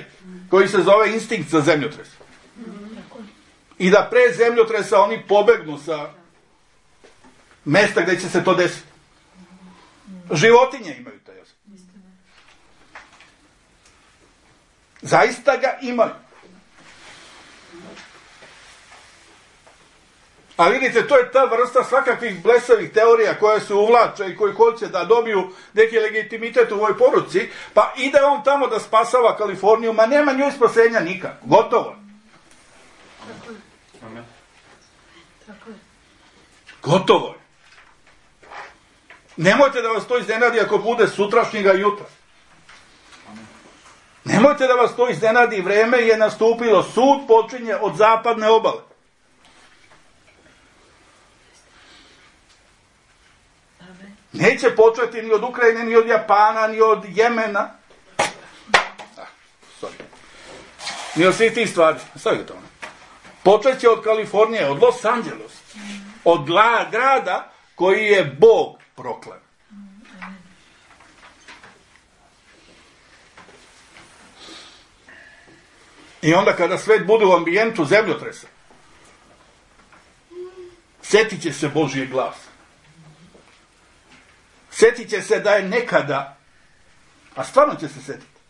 koji se zove instinkt za zemljotres. I da pre zemljotresa oni pobegnu sa mesta gdje će se to desiti. Životinje imaju taj osjećaj. Zaista ga imaju. A vidite, to je ta vrsta svakakvih blesavih teorija koje se uvlače i koji hoće da dobiju neki legitimitet u ovoj poruci, pa ide on tamo da spasava Kaliforniju, ma nema njoj spasenja nikako. Gotovo. Tako je. Amen. Tako je. Gotovo je. Nemojte da vas to iznenadi ako bude sutrašnjega jutra. Nemojte da vas to iznenadi, vreme je nastupilo, sud počinje od zapadne obale. Neće početi ni od Ukrajine, ni od Japana, ni od Jemena. Ah, sorry. Ni od svih tih stvari. Stavite to. Počet će od Kalifornije, od Los Angeles. Od grada koji je Bog proklaman. I onda kada svet bude u ambijentu zemljotresa, sjetit će se Božijeg glasa. Sjetit će se da je nekada, a stvarno će se sjetiti,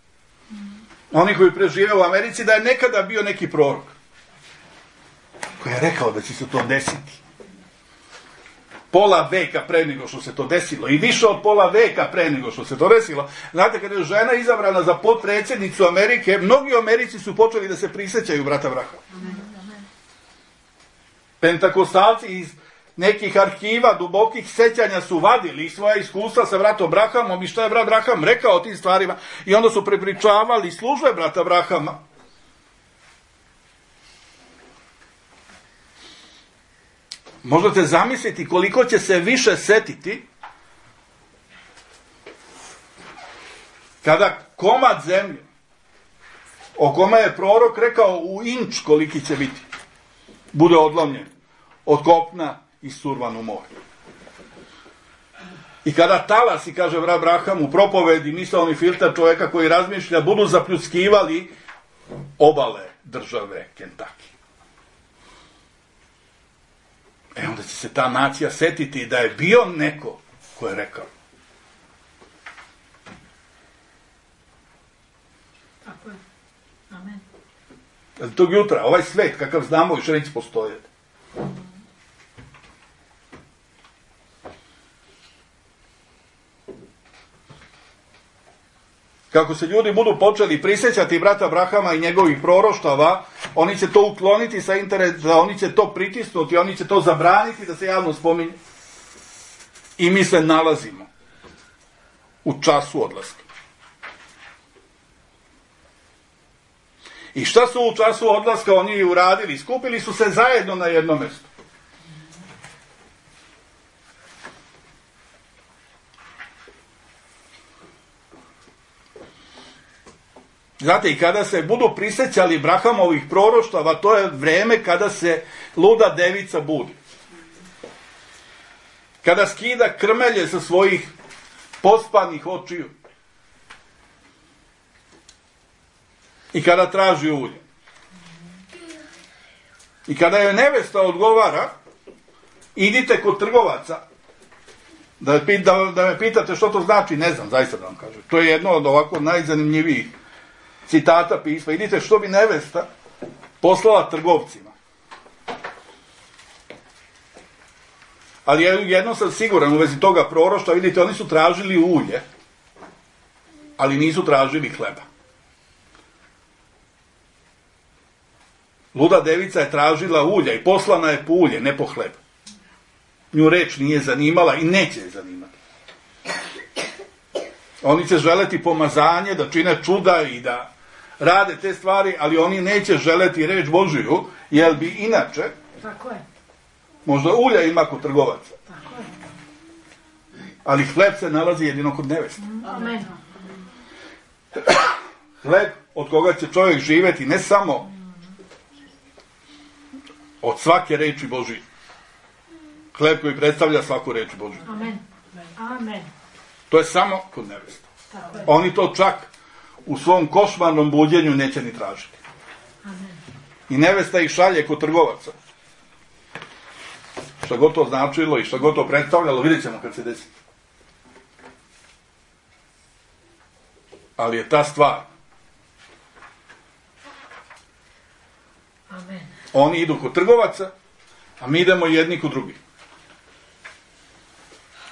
oni koji prežive u Americi, da je nekada bio neki prorok koji je rekao da će se to desiti. Pola veka pre nego što se to desilo i više od pola veka pre nego što se to desilo. Znate, kada je žena izabrana za potpredsjednicu Amerike, mnogi u Americi su počeli da se prisjećaju brata Brahama. Pentakostalci iz nekih arhiva dubokih sećanja su vadili svoja iskustva sa bratom Brahamom i šta je brat Braham rekao o tim stvarima i onda su prepričavali službe brata Brahama. Možete zamisliti koliko će se više setiti kada komad zemlje o kome je prorok rekao u inč koliki će biti bude odlomljen od kopna i survan u more. I kada talasi, kaže Abraham u propovedi, misaoni filter čovjeka koji razmišlja, budu zapljuskivali obale države Kentucky. E onda će se ta nacija setiti da je bio neko ko je rekao. Tako je. Amen. Ali tog jutra, ovaj svet, kakav znamo, više neće postojati. Kako se ljudi budu počeli prisjećati brata Abrahama i njegovih proroštava, oni će to ukloniti sa interneta, oni će to pritisnuti, oni će to zabraniti da se javno spominje. I mi se nalazimo u času odlaska. I šta su u času odlaska oni uradili? Skupili su se zajedno na jedno mjesto. Znate, i kada se budu prisjećali Abrahamovih proroštava, to je vreme kada se luda devica budi. Kada skida krmelje sa svojih pospanih očiju. I kada traži ulje. I kada joj nevesta odgovara, idite kod trgovaca, da, da, da me pitate što to znači, ne znam, zaista da vam kažem. To je jedno od ovako najzanimljivijih citata pisma. Vidite što bi nevesta poslala trgovcima. Ali jedno sam siguran u vezi toga proroštva, vidite, oni su tražili ulje, ali nisu tražili hleba. Luda devica je tražila ulja i poslana je po ulje, ne po hleb. Nju reč nije zanimala i neće je zanimati. Oni će želeti pomazanje, da čine čuda i da rade te stvari, ali oni neće želeti reč Božiju, jer bi inače, tako je, možda ulja ima kod trgovaca. Tako je. Ali hleb se nalazi jedino kod neveste. Amen. Hleb od koga će čovjek živjeti ne samo od svake reči Božije. Hleb koji predstavlja svaku reč Božiju. Amen. Amen. To je samo kod neveste. Tako je. Oni to čak u svom košmarnom buđenju neće ni tražiti. Amen. I nevesta ih šalje kod trgovaca. Šta god to značilo i šta god to predstavljalo, vidjet ćemo kad se desi. Ali je ta stvar. Amen. Oni idu kod trgovaca, a mi idemo jedni kod drugih.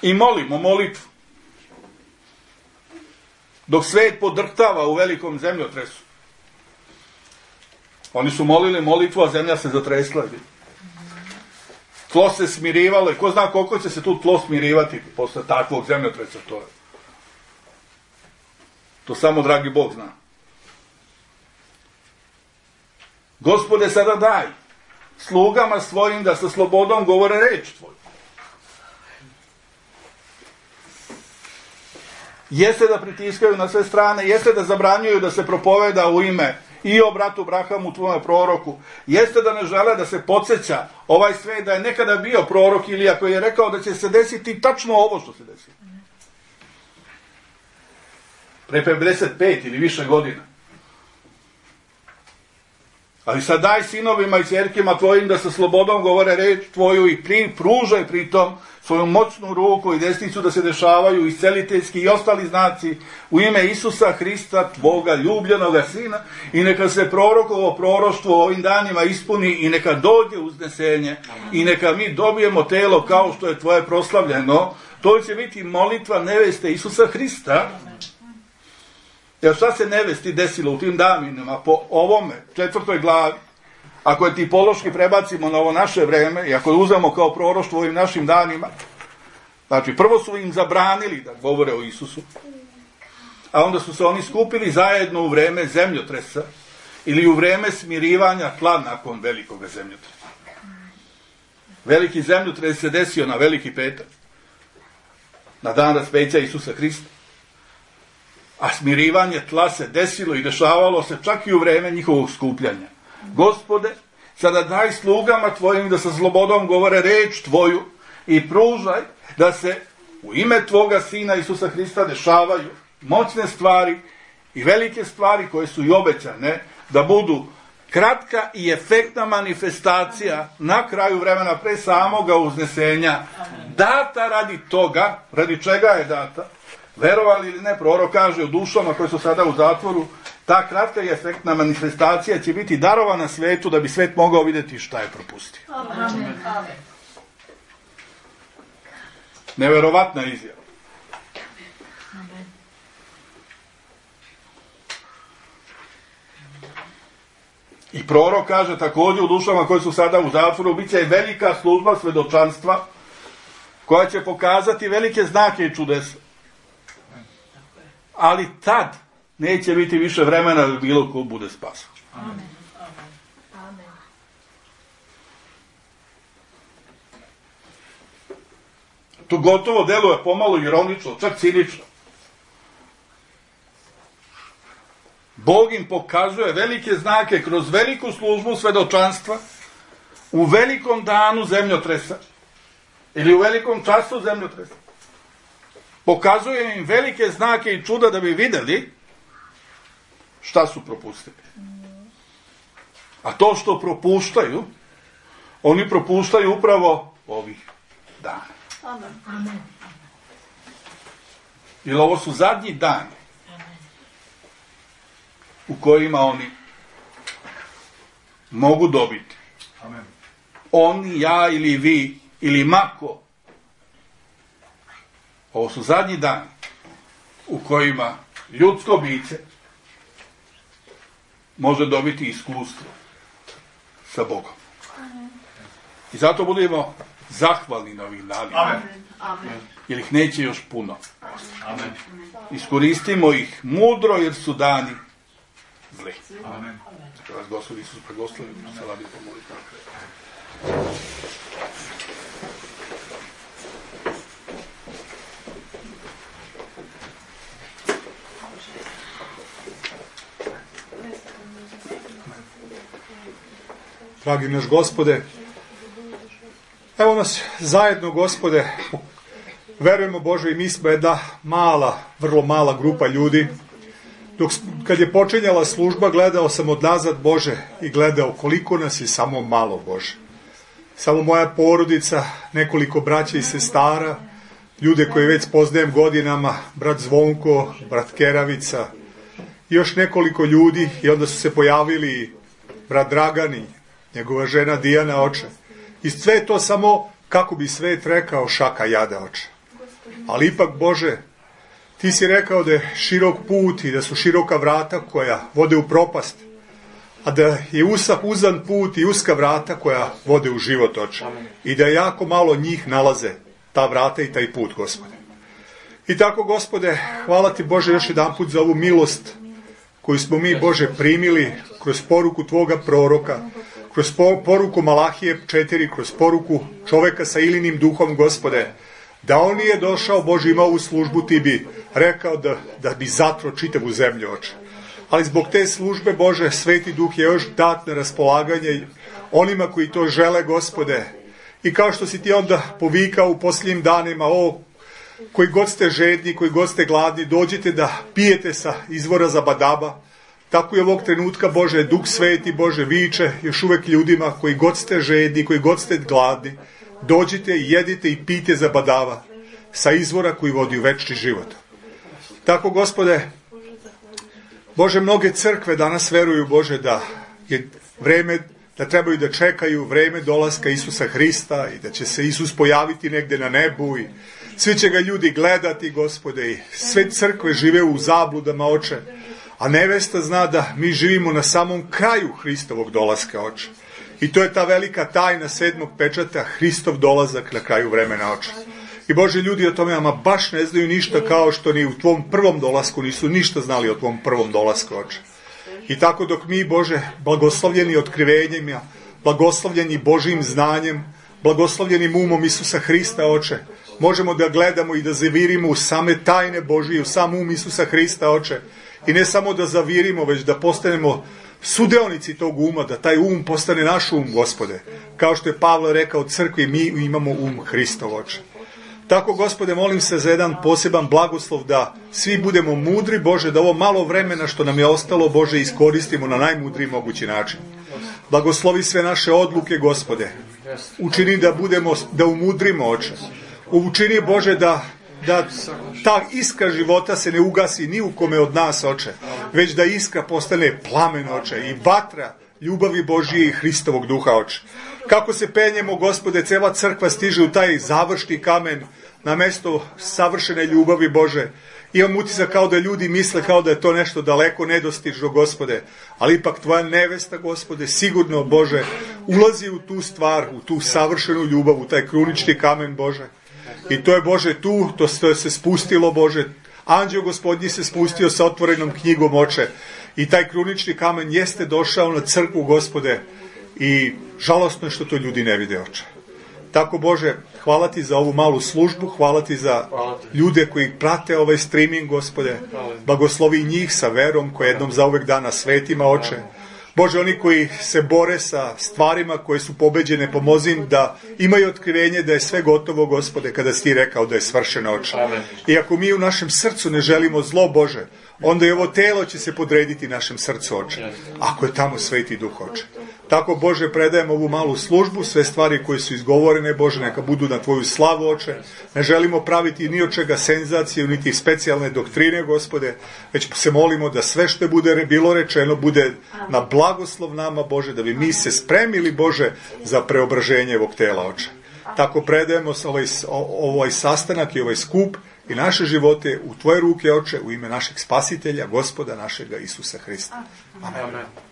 I molimo molitvu. Dok svet podrhtava u velikom zemljotresu. Oni su molili molitvu, a zemlja se zatresla. Tlo se smirivalo. Ko zna koliko će se tu tlo smirivati posle takvog zemljotresa. To, je. to samo dragi Bog zna. Gospode, sada daj slugama svojim da sa slobodom govore reč tvoju. Jeste da pritiskaju na sve strane, jeste da zabranjuju da se propoveda u ime i o bratu Abrahamu, tvome proroku, jeste da ne žele da se podsjeća ovaj svet da je nekada bio prorok Ilija koji je rekao da će se desiti tačno ovo što se desilo. Pre pedeset pet ili više godina. Ali sad daj sinovima i ćerkima tvojim da sa slobodom govore reč tvoju i pri, pružaj pritom svoju moćnu ruku i desnicu da se dešavaju isceliteljski i ostali znaci u ime Isusa Hrista, tvoga ljubljenoga sina, i neka se prorokovo proroštvo ovim danima ispuni i neka dođe uznesenje i neka mi dobijemo telo kao što je tvoje proslavljeno. To će biti molitva neveste Isusa Hrista. Jer šta se nevesti desilo u tim danima po ovome, četvrtoj glavi, ako je tipološki prebacimo na ovo naše vreme i ako je uzemo kao proroštvo u ovim našim danima, znači prvo su im zabranili da govore o Isusu, a onda su se oni skupili zajedno u vreme zemljotresa ili u vreme smirivanja tla nakon velikog zemljotresa. Veliki zemljotres se desio na Veliki petak, na dan raspeća Isusa Hrista. A smirivanje tla se desilo i dešavalo se čak i u vreme njihovog skupljanja. Gospode, sada daj slugama tvojim da sa slobodom govore reč tvoju i pružaj da se u ime Tvoga Sina Isusa Hrista dešavaju moćne stvari i velike stvari koje su i obećane da budu kratka i efektna manifestacija na kraju vremena pre samoga uznesenja, data radi toga, radi čega je data, verovali ili ne, prorok kaže u dušama koje su sada u zatvoru, ta kratka i efektna manifestacija će biti darovana svetu da bi svet mogao vidjeti šta je propustio. Amen. Neverovatna izjava. Amen. I prorok kaže također u dušama koje su sada u zatvoru, bit će velika služba svedočanstva koja će pokazati velike znake i čudesa. Ali tad neće biti više vremena da bilo ko bude spasan. Amen. Amen. To gotovo deluje pomalo ironično, čak cinično. Bog im pokazuje velike znake kroz veliku službu svedočanstva u velikom danu zemljotresa ili u velikom času zemljotresa. Pokazuje im velike znake i čuda da bi vidjeli šta su propustili. A to što propuštaju, oni propuštaju upravo ovih dana. Amen. Jer ovo su zadnji dani u kojima oni mogu dobiti. Amen. Oni, ja ili vi, ili mako. Ovo su zadnji dani u kojima ljudsko biće može dobiti iskustvo sa Bogom. I zato budemo zahvalni na ovih danima. Amen. Jer ih neće još puno. Amen. Iskoristimo ih mudro jer su dani zli. Amen. Neka vas Gospod Isus blagoslovi, se radi pomoliti. Dragi naš Gospode, evo nas zajedno, Gospode, verujemo Bože i mi smo jedna mala, vrlo mala grupa ljudi. Dok, kad je počinjala služba, gledao sam odnazad, Bože, i gledao koliko nas je samo malo, Bože. Samo moja porodica, nekoliko braća i sestara, ljude koje već poznajem godinama, brat Zvonko, brat Keravica, i još nekoliko ljudi, i onda su se pojavili brat Dragani, njegova žena Dijana, oče. I sve to samo, kako bi svet rekao, šaka jada, oče. Ali ipak, Bože, Ti si rekao da je širok put i da su široka vrata koja vode u propast, a da je usak uzan put i uska vrata koja vode u život, oče. I da jako malo njih nalaze ta vrata i taj put, Gospode. I tako, Gospode, hvala Ti, Bože, još jedan put za ovu milost koju smo mi, Bože, primili kroz poruku Tvoga proroka, kroz poruku Malahije četiri, kroz poruku čoveka sa Ilinim duhom, Gospode, da on nije došao, Bože, imao u službu, Ti bi rekao da, da bi zatro čitavu zemlju, oče. Ali zbog te službe, Bože, Sveti Duh je još dat na raspolaganje onima koji to žele, Gospode. I kao što si Ti onda povikao u posljednjim danima, o, koji god ste žedni, koji god ste gladni, dođite da pijete sa izvora Zabadaba. Tako je ovog trenutka, Bože, Duh Sveti, Bože, viče još uvek ljudima koji god ste žedni, koji god ste gladni, dođite i jedite i pijte Zabadava sa izvora koji vodi u večni život. Tako, Gospode, Bože, mnoge crkve danas veruju, Bože, da je vreme, da trebaju da čekaju vreme dolaska Isusa Hrista i da će se Isus pojaviti negde na nebu i svi će ga ljudi gledati, Gospode, i sve crkve žive u zabludama, oče, a nevesta zna da mi živimo na samom kraju Hristovog dolaska, oče. I to je ta velika tajna sedmog pečata, Hristov dolazak na kraju vremena, oče. I Bože, ljudi o tome ama baš ne znaju ništa, kao što ni u Tvom prvom dolasku nisu ništa znali o Tvom prvom dolasku, oče. I tako dok mi, Bože, blagoslovljeni otkrivenjima, blagoslovljeni Božijim znanjem, blagoslovljenim umom Isusa Hrista, oče, možemo da gledamo i da zavirimo u same tajne Božije, u sam um Isusa Hrista, oče. I ne samo da zavirimo, već da postanemo sudeonici tog uma, da taj um postane naš um, Gospode. Kao što je Pavle rekao crkvi, mi imamo um Hristov, oče. Tako, Gospode, molim se za jedan poseban blagoslov da svi budemo mudri, Bože, da ovo malo vremena što nam je ostalo, Bože, iskoristimo na najmudriji mogući način. Blagoslovi sve naše odluke, Gospode. Učini da budemo, da umudrimo, Oče. Učini, Bože, da, da ta iskra života se ne ugasi ni u kome od nas, Oče, već da iskra postane plamen, Oče, i vatra ljubavi Božije i Hristovog duha, Oče. Kako se penjemo, Gospode, cela crkva stiže u taj završni kamen na mesto savršene ljubavi, Bože. Imam utisak kao da ljudi misle kao da je to nešto daleko nedostižno, Gospode, ali ipak Tvoja nevesta, Gospode, sigurno, Bože, ulazi u tu stvar, u tu savršenu ljubav, u taj krunični kamen, Bože. I to je, Bože, tu, to se spustilo, Bože. Anđeo Gospodnji se spustio sa otvorenom knjigom, Oče. I taj krunični kamen jeste došao na crkvu, Gospode. I žalostno je što to ljudi ne vide, Oče. Tako, Bože, hvala Ti za ovu malu službu, hvala Ti za ljude koji prate ovaj streaming, Gospode. Blagoslovi njih sa verom koja jednom zauvek dana svetima, Oče. Bože, oni koji se bore sa stvarima koje su pobeđene, pomozi im da imaju otkrivenje da je sve gotovo, Gospode, kada si Ti rekao da je svršeno, Oče. I ako mi u našem srcu ne želimo zlo, Bože, onda i ovo telo će se podrediti našem srcu, Oče. Ako je tamo Sveti Duh, Oče. Tako, Bože, predajem ovu malu službu, sve stvari koje su izgovorene, Bože, neka budu na Tvoju slavu, Oče. Ne želimo praviti ni od čega senzaciju, niti specijalne doktrine, Gospode, već se molimo da sve što bude bilo rečeno bude na blagoslov nama, Bože, da bi mi se spremili, Bože, za preobraženje ovog tela, Oče. Tako predajemo ovaj, ovaj sastanak i ovaj skup i naše živote u Tvoje ruke, Oče, u ime našeg Spasitelja, Gospoda našega Isusa Hrista. Amen. Amen.